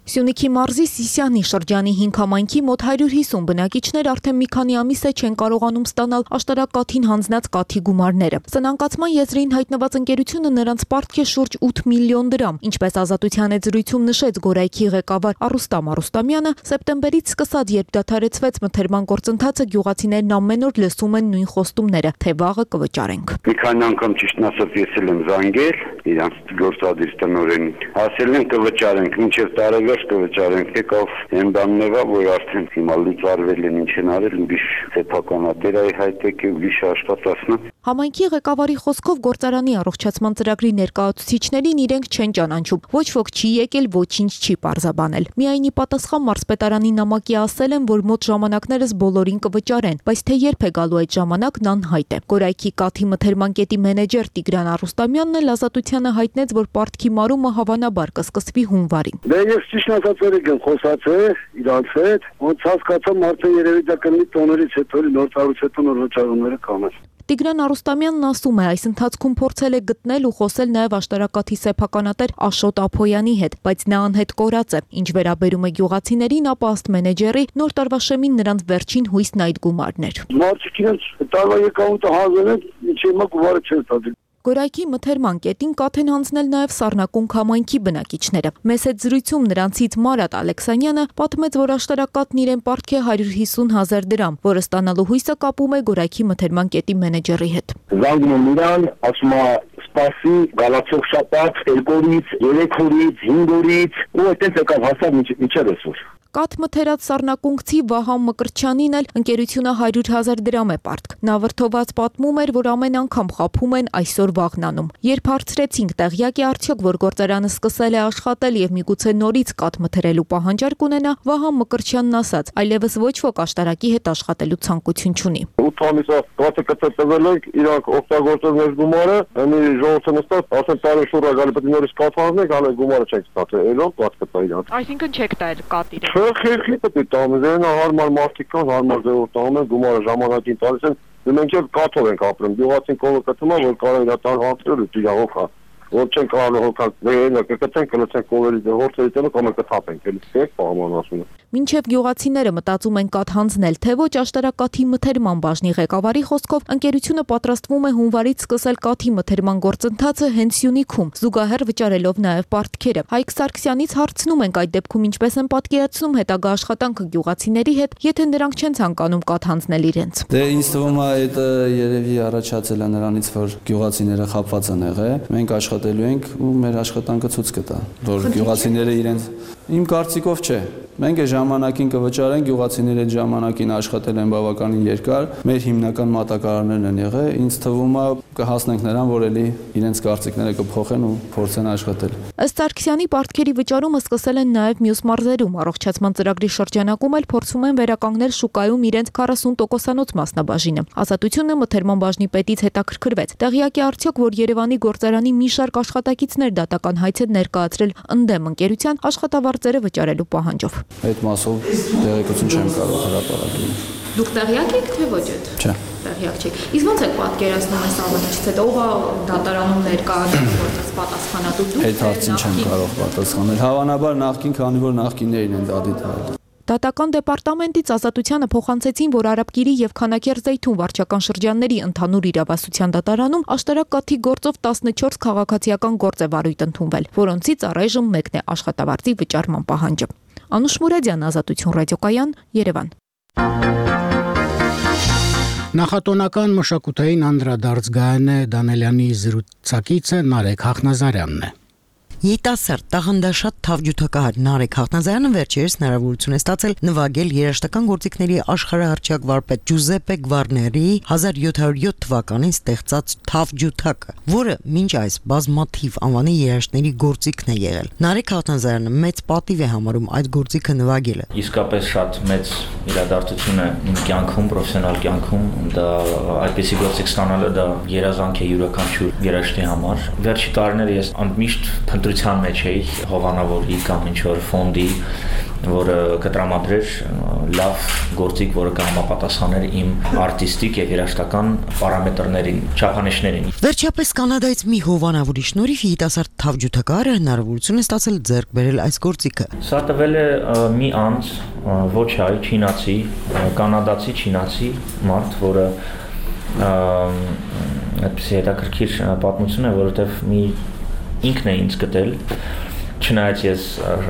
Սյունիքի մարզի Սիսյանի շրջանի հինգ համայնքի մոտ հարյուր հիսուն բնակիչներ արդեն մի քանի ամիս է չեն կարողանում ստանալ աշտարակ կաթին հանձնած կաթի գումարները։ Սնանկացման եզրին հայտնված ընկերությունը նրանց պարտք է շուրջ ութ միլիոն դրամ, ինչպես Ազատության եզրույթում նշեց Գորայքի ղեկավար Արուստամ Արուստամյանը, սեպտեմբերից սկսած, երբ դադարեցվեց մթերման գործընթացը, գյուղացիներն ամեն օր լսում են նույն խոստումները, թե վաղը կվճարենք։ Մի քանի անգամ ճիշտն ասած ես եմ զանգել իրանց գործադիր տնօրենին, ասել են կվճարենք, մինչև տարեվեր կվճարենք, եկավ այն բանն եղավ, որ արդեն հիմա լուծարվել են, ինչ են արել, ուրիշ սեփականատերայի հայտ եկել, ուրիշ աշխատացնա։ Համայնքի ղեկավարի խոսքով գործարանի առողջացման ծրագրի ներկայացուցիչներին իրենք չեն ճանաչում, ոչ ոք չի եկել, ոչինչ չի պարզաբանել։ Միայն ի պատասխան մարզպետարանի նամակի ասել են, որ մոտ ժամանակներս բոլորին կվճարեն, բայց թե երբ է գալու այդ ժամանակն անհայտ է։ Գորայքի կաթի մթերման կետի մենեջեր Տիգրան Արուստամյանն էլ Ազատությանը հայտնեց, որ պարտքի մարումը հավանաբար կսկսվի հունվարին։ Դե ես ճիշտ ասած եմ խոսացել իրանց հետ, ոնց հասկացամ արդեն երևի դա կլինի տոներից հետո նոր տարուց հետո նոր վճարումները կանեն։ Տիգրան Արուստամյանն ասում է, այս ընթացքում փորձել է գտնել ու խոսել նաև աշտարակաթի սեփականատեր Աշոտ Ափոյանի հետ, բայց նա անհետ կորած է։ Ինչ վերաբերում է գյուղացիներին, ապա ըստ մենեջերի նոր տարվա շեմին նրանց վերջին հույսն այդ գումարն էր։ Մարդիկ իրենց տարվա եկամուտը հանձնել են, ինչ հիմա գումարը չեն տալիս։ Գորայքի մթերման կետին կաթ են հանձնել նաև Սառնակունք համայնքի բնակիչները։ Մեծ հետ զրույցում նրանցից Մարատ Ալեքսանյանը պատմեց, որ աշտարակաթն իրեն պարտք է հարյուր հիսուն հազար դրամ, որը ստանալու հույսը կապում է Գորայքի մթերման կետի մենեջերի հետ։ Զանգում եմ իրան, ասում է սպասի, գալացող շաբաթ, երկու օրից, երեք օրից, հինգ օրից, ու այդպես եկավ հասավ միջև այսօր։ Կաթ մթերած Սառնակունքցի Վահան Մկրտչյանին էլ ընկերությունը հարյուր հազար դրամ է պարտք։ Նա վրդոված պատմում էր, որ ամեն անգամ խաբում են այսօր վաղնանում։ Երբ հարցրեցինք տեղյակ է արդյոք, որ գործարանը սկսել է աշխատել եւ միգուցե նորից կաթ մթերելու պահանջարկ ունենա, Վահան Մկրտչյանն ասաց, այլևս ոչ ոք աշտարակի հետ աշխատելու ցանկություն չունի։ ութ ամիսա կաթը կտրվել ենք, իրանք օգտագործել մեր գումարը, այնի ժողովուրդը նստած, ասեն տարի շուռ գալի պետք է նորից կաթ հանենք, հələ գումարը չենք ստացել, այլով կաթ կտա իրանք։ Այսինքն չեք տալ կաթ իրեն։ Խելքի պետք է տամ, հարմար մարդիկ կան, հարմար ձևով տանում են, գումարը ժամանակին տալիս են, մենք էլ կաթով ենք ապրում, գյուղացին կողը կտում է, որ կարող է տան հանցրել ու իրավով հա։ Որ չեն կարող հոգալ, վերելը կկցեն, կլցեն կովերի դեղորցերի տելը կամ կթափենք, էլի ստեք պահման ասում է։ Մինչև գյուղացիները մտածում են կաթ հանձնել, թե ոչ աշտարակաթի մթերման բաժնի ղեկավարի խոսքով ընկերությունը պատրաստվում է հունվարից սկսել կաթի մթերման գործընթացը հենց Սյունիքում, զուգահեռ վճարելով նաև պարտքերը։ Հայկ Սարգսյանից հարցնում ենք այդ դեպքում ինչպես են պատկերացնում հետագա աշխատանքը գյուղացիների հետ, եթե նրանք չեն ցանկանում կաթ հանձնել իրենց։ Դե ինձ թվում է այդ երևի առաջացել է նրանից, որ գյուղացիները խաբված են եղել։ Մենք աշխատելու ենք ու մեր աշխատանքը ցույց կտա, որ գյուղացիները իրենց իմ կարծիքով չէ։ Մենք այս ժամանակին կվճարենք, գյուղացիները այդ ժամանակին աշխատել են բավականին երկար, մեր հիմնական մատակարարներն են եղել, ինձ թվում է կհասնենք նրան, որ էլի իրենց կարծիքները կփոխեն ու փորձեն աշխատել։ Ըստ Սարգսյանի պարտքերի վճարումը սկսել են նաև մյուս մարզերում, առողջացման ծրագրի շրջանակում էլ փորձում են վերականգնել շուկայում իրենց քառասուն տոկոսանոց մասնաբաժինը։ Ազատությունը մթերման բաժնի պետից հետաքրքրվեց։ Տեղյակ է արդյոք, որ Երևանի գործարանի մի շարք աշխատակիցներ դատական հայց են ներկայացրել ընդդեմ ընկերության աշխատավարձերը վճարելու պահանջով։ Այդ մասով տեղեկություն չեմ կարող հրապարակել։ Դուք տեղյակ եք թե ոչ այդ։ Չէ։ Տեղյակ չեք։ Իսկ ո՞նց եք պատկերացնում այս ամենից հետո ով է դատարանում ներկայացնում որպես պատասխանատու դուք։ Այդ հարցին չեմ կարող պատասխանել։ Հավանաբար նախքին, քանի որ նախկիններին են դա դիտել։ Դատական դեպարտամենտից Ազատությանը փոխանցեցին, որ Արաբկիրի եւ Քանաքեռ-Զեյթուն վարչական շրջանների ընդհանուր իրավասության դատարանում աշտարակ կաթի գործով տասնչորս քաղաքացիական գործ է վարույթ ընդունվել, որոնցից առայժմ մեկն է աշխատավարձի վճարման պահանջը։ Անուշ Մուրադյան, Ազատություն ռադիոկայան, Երևան։ Նախատոնական մշակութային անդրադարձ Գայանե Դանելյանի զրուցակիցը Նարեկ Հախնազարյանն է։ Երիտասարդ տաղանդաշատ թավջութակահար Նարեկ Հախնազարյանը վերջերս հնարավորություն է ստացել նվագել երաժշտական գործիքների աշխարհահռչակ վարպետ Ջուզեպպե Գվարների հազար յոթ հարյուր յոթ թվականին ստեղծած Թավջութակը, որը մինչ այս բազմաթիվ անվանի երաժշտների գործիքն է եղել։ Նարեկ Հախնազարյանը մեծ պատիվ է համարում այդ գործիքը նվագելը։ Իսկապես շատ մեծ իրադարձություն է իմ կյանքում, պրոֆեսիոնալ կյանքում, դա այդպիսի գործիք ստանալը դա երազանք է յուրաքանչյուր երաժշտի համար։ Վերջի տարիները ես անմիշտ ընտրության մեջ էի հովանավորի կամ ինչ-որ ֆոնդի, որը կտրամադրեր լավ գործիք, որը կհամապատասխաներ իմ արտիստիկ եւ երաժշտական պարամետրներին, չափանիշներին։ Վերջապես Կանադայից մի հովանավորի շնորհիվ երիտասարդ թավջութակարը հնարավորություն է ստացել ձեռք բերել այս գործիքը։ Սա տվել է մի անձ, ոչ հայ, չինացի, կանադացի չինացի մարդ, որը այդպիսի հետաքրքիր պատմություն է, որովհետեւ մի ինքն է ինձ գտել, չնայած ես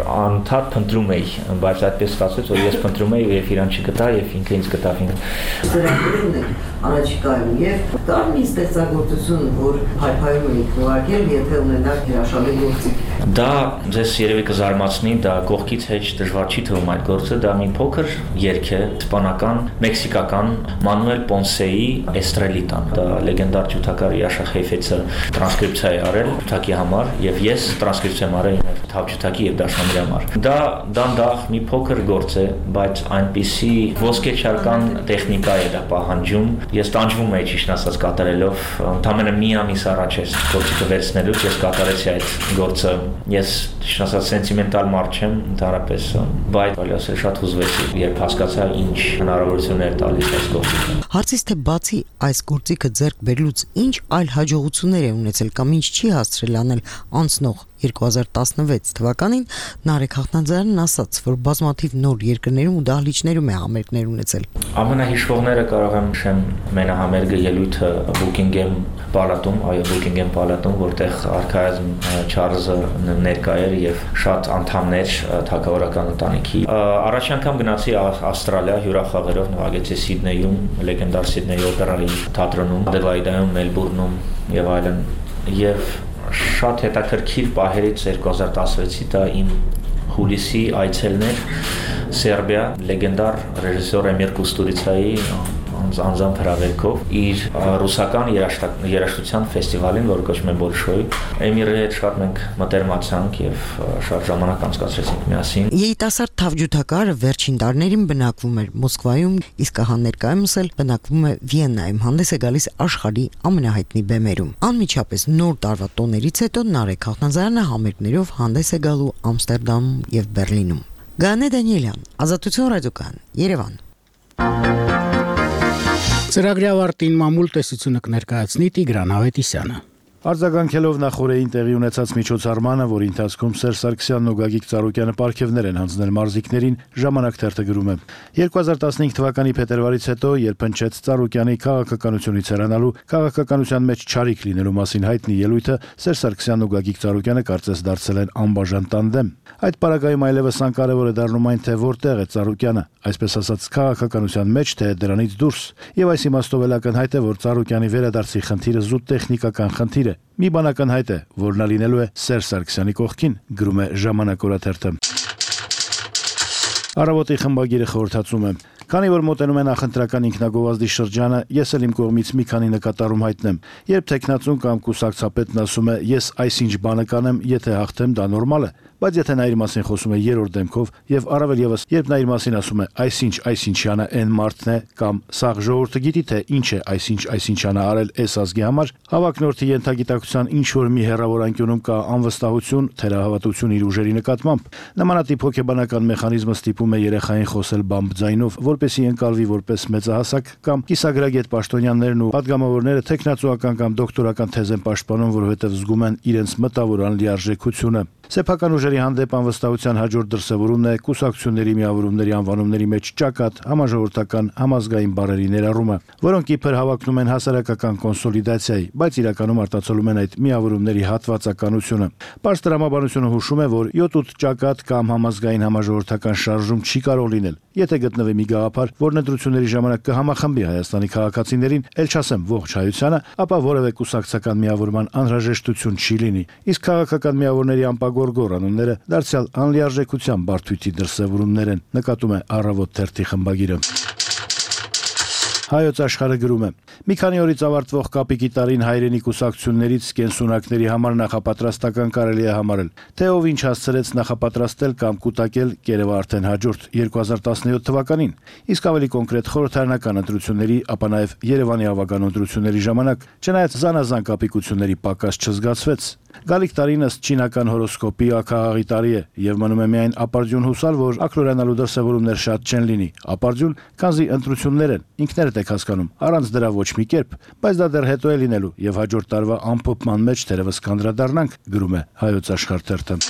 անդադ փնտրում էի, բայց այդպես ստացվեց, որ ես փնտրում էի եւ իրան չգտա եւ ինքը ինձ գտավ ինձ։ Ծրագրերն են առաջիկայում եւ կար մի ստեղծագործություն, որ հայփայում եք նվագել, եթե ունենաք հրաշալի գործիք։ Դա ձեզ երևի կզարմացնի, դա կողքից հեչ դժվար չի թվում այդ գործը, դա մի փոքր երգ է, իսպանական, մեքսիկական Մանուել Պոնսեի Էստրելիտան։ Դա լեգենդար ջութակար Յաշա Խեյֆեցը տրանսկրիպցիա է արել ջութակի համար եւ ես տրանսկրիպցիա եմ արել թավջութակի եւ դաշնամուրի համար։ Դա դանդաղ մի փոքր գործ է, բայց այնպիսի ոսկեչարական տեխնիկա է դա պահանջում։ Ես տանջվում էի ճիշտ ասած կատարելով, ընդամենը մի ամիս առաջ ես գործիքը վերցնելուց ես կատարեցի այդ գործը։ Ես ճիշտ ասած սենտիմենտալ մարդ չեմ ընդհանրապես, բայց ասել շատ հուզվեցի, երբ հասկացա ինչ հնարավորություններ տալիս այս գործիքը։ Հարցից թե բացի այս գործիքը ձեռք բերելուց ինչ այլ հաջողություններ է ունեցել կամ ինչ չի հասցրել անել անցնող երկու հազար տասնվեց թվականին, Նարեկ Հաղթանձարյանն ասաց, որ բազմաթիվ նոր երկրներում ու դահլիճներում է համերգներ ունեցել։ Ամենահիշվողները կարող եմ նշեմ մենահամերգը ելույթը Բուքինգեմ պալատում, այո Բուքինգեմ պալատում, որտեղ արքայազն Չարլզը ներկա էր եւ շատ անդամներ թագավորական ընտանիքի։ Առաջ անգամ գնացի Ավստրալիա հյուրախաղերով նվագեցի Սիդնեյում, լեգենդար Սիդնեյի օպերայի թատրոնում, Ադելայդայում, Մելբուրնում եւ այլն։ Եվ շատ հետաքրքիր պահերից երկու հազար տասնվեցի դա իմ հուլիսի այցելն էր Սերբիա, լեգենդար ռեժիսոր Էմիր Կուստուրիցայի անձամբ հրավերքով իր ռուսական երաժշտության ֆեստիվալին, որը կոչվում է Բոլշոյ։ Էմիրի հետ շատ մենք մտերմացանք եւ շատ ժամանակ անցկացրեցինք միասին։ Երիտասարդ թավջութակարը վերջին տարիներին բնակվում էր Մոսկվայում, իսկ ահա ներկայումս էլ բնակվում է Վիեննայում, հանդես է գալիս աշխարհի ամենահայտնի բեմերում։ Անմիջապես նոր տարվա տոներից հետո Նարեկ Հաղթանձարյանը համերգներով հանդես է գալու Ամստերդամում եւ Բերլինում։ Գանե Դանիելյան, Ազատություն ռադիոկայան, Երևան։ Ծրագրի ավարտին մամուլ տեսությունը կներկայացնի Տիգրան Ավետիսյանը։ Արձագանքելով նախորդին տեղի ունեցած միջոցառմանը, որի ընթացքում Սերժ Սարգսյանն ու Գագիկ Ծառուկյանը պարգևներ են հանձնել մարզիկներին, Ժամանակ թերթը գրում է. երկու հազար տասնհինգ թվականի փետրվարից հետո, երբ հնչեց Ծառուկյանի քաղաքականությունից հեռանալու, քաղաքականության մեջ չարիք լինելու մասին հայտնի ելույթը, Սերժ Սարգսյանն ու Գագիկ Ծառուկյանը կարծես դարձել են անբաժան տանդեմ։ Այդ պարագայում այլևս անկարևոր է դառնում այն, թե որտեղ է Ծառուկյանը, այսպես ասած, քաղաքականության մեջ, թե դրանից դուրս։ Եվ այս իմաստով էլ ակնհայտ է, որ Ծառուկյանի վերադարձի խնդիրը զուտ տեխնիկական խնդիր է։ Մի բան ակնհայտ է, որ նա լինելու է Սերժ Սարգսյանի կողքին, գրում է Ժամանակ օրաթերթը։ Առավոտի խմբագիրը խորհրդածում է. Քանի որ մոտենում է նախընտրական ինքնագովազդի շրջանը, ես էլ իմ կողմից մի քանի նկատառում հայտնեմ։ Երբ տեխնացուն կամ կուսակցապետն ասում է ես այսինչ բանը կանեմ, եթե հաղթեմ, դա նորմալ է, բայց եթե նա իր մասին խոսում է երրորդ դեմքով եւ առավել եւս երբ նա իր մասին ասում է այսինչ այսինչյանը այն մարդն է կամ սաղ ժողովուրդը գիտի թե ինչ է այսինչ այսինչյանը արել այս ազգի համար, հավակնորդի ենթագիտակցության ինչ որ մի հերավոր անկյունում կա անվստահություն, թերահավատություն իր ուժերի նկատմամբ։ Նմանատիպ հոգեբանական մեխանիզմը ստիպում է երեխային խոսել բամբ ձայնով, որպեսզի ընկալվի որպես մեծահասակ կամ կիսագրագետ պաշտոնյաներն ու падգամավորները տեխնացուական կամ դոկտորական թեզ են պաշտպանում, որովհետև զգում են իրենց մտավոր անլիարժեքությունը։ Սեփական ուժերի հանդեպ անվստահության հաջորդ դրսևորումն է կուսակցությունների միավորումների անվանումների մեջ ճակատ, համաժողովրդական, համազգային բառերի ներառումը, որոնք իբր հավակնում են հասարակական կոնսոլիդացիայի, բայց իրականում արտացոլում են այդ միավորումների հատվածականությունը։ Պարզ տրամաբանությունը հուշում է, որ յոթ ութ ճակատ կամ համազգային համաժողովրդական շարժում չի կարող լինել, եթե գտնվի մի գաղափար, որ ընտրությունների ժամանակ կհամախմբի Հայաստանի քաղաքացիներին, ել չասեմ ողջ հայությանը, ապա որևէ կուսակցական միավորման անհրաժեշտություն չի լինի։ Իսկ քաղաքական միավորների անպագորգոր անունները դարձյալ անլիարժեքության բարդույթի դրսևորումներ են, նկատում է Առավոտ թերթի խմբագիրը։ Հայոց աշխարհը գրում է. Մի քանի օրից ավարտվող Կապիկի տարին հայրենի կուսակցություններից կենսունակների համար նախապատրաստական կարելի է համարել, թե ով ինչ հասցրեց նախապատրաստել կամ կուտակել Կերևը արդեն հաջորդ երկու հազար տասնյոթ թվականին, իսկ ավելի կոնկրետ խորհրդարանական ընտրությունների, ապա նաև Երևանի ավագան ընտրությունների ժամանակ, չնայած զանազան կապիկությունների պակաս չզգացվեց, Գալիք տարին ըստ չինական հորոսկոպի ակաղաղի տարի է եւ մնում է միայն ապարդյուն հուսալ, որ ակլորանալու դրսևորումներ շատ չեն լինի։ Ապարդյուն, քանզի ընտրություններ են, ինքներդ եք հասկանում, առանց դրա ոչ մի կերպ, բայց դա դեռ հետո է լինելու եւ հաջորդ տարվա ամփոփման մեջ թերևս կանդրադառնանք, գրում է Հայոց Աշխարհ թերթը։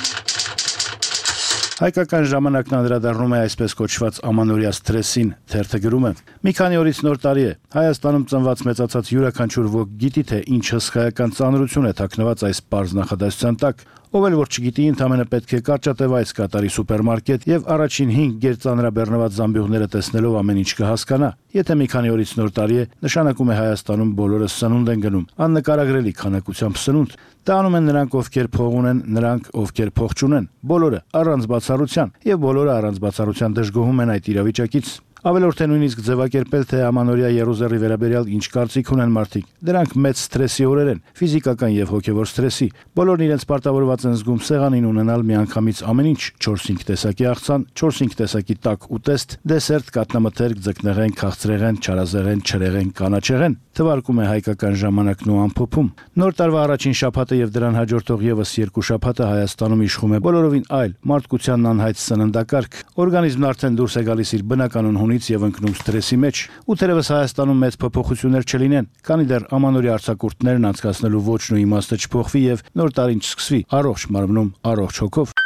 Հայկական ժամանակն անդրադառնում է այսպես կոչված ամանորյա սթրեսին, թերթը գրում է. Մի քանի օրից նոր տարի է։ Հայաստանում ծնված մեծացած յուրաքանչյուր ոք գիտի, թե ինչ հսկայական ծանրություն է թաքնված այս պարզ նախադասության տակ։ Ով էլ որ չգիտի, ընդամենը պետք է կարճատևայց կատարի սուպերմարկետ եւ առաջին հինգ գերծանրաբեռնված զամբյուղները տեսնելով ամեն ինչ կհասկանա։ Եթե մի քանի օրից նոր տարի է, նշանակում է Հայաստանում բոլորը սնունդ են գնում, աննկարագրելի քանակությամբ սնունդ։ Դա անում են նրանք, ովքեր փող ունեն, նրանք, ովքեր փող չունեն, բոլորը առանց բացառության, եւ բոլորը առանց բացառության դժգոհում են այդ իրավիճակից։ Ավելորդ է նույնիսկ ձևակերպել, թե ամանորյա Երուսաղեմի վերաբերյալ ինչ կարծիք ունեն մարդիկ։ Դրանք մեծ սթրեսի օրեր են, ֆիզիկական եւ հոգեվոր սթրեսի։ Բոլորն իրենց պարտավորված են զգում սեղանին ունենալ միանգամից ամեն ինչ՝ չորս-հինգ տեսակի աղցան, չորս-հինգ տեսակի տաք ուտեստ, դեսերտ, կատնամթերք, ձկնեղեն, քաղցրեղեն, չարազեղեն, չրեղեն, կանաչեղեն, թվարկում է հայկական ժամանակն ու ամփոփում։ Նոր տարվա առաջին շաբաթը եւ դրան հաջորդող եւս երկու շաբաթը Հայաստանում իշխում է բոլորովին այլ մարդկությանն անհայտ սննդակարգ։ Օրգանիզմն արդեն դուրս է գալիս իր բնականon հունից եւ ընկնում սթրեսի մեջ։ Ու թերևս Հայաստանում մեծ փոփոխություններ չլինեն, քանի դեռ ամանորյա արձակուրդներն անցկացնելու ոչն ու իմաստը չփոխվի եւ նոր տարին չսկսվի առողջ մարմնում, առողջ հոգով։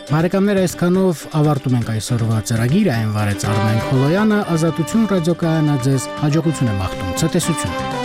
Բարեկամներ, այսքանով ավարտում ենք այսօրվա ծրագիրը, այն վարեց Արմեն Խոլոյանը, Ազատություն ռադիոկայանը ձեզ հաջողություն է մաղթում, ցտեսություն։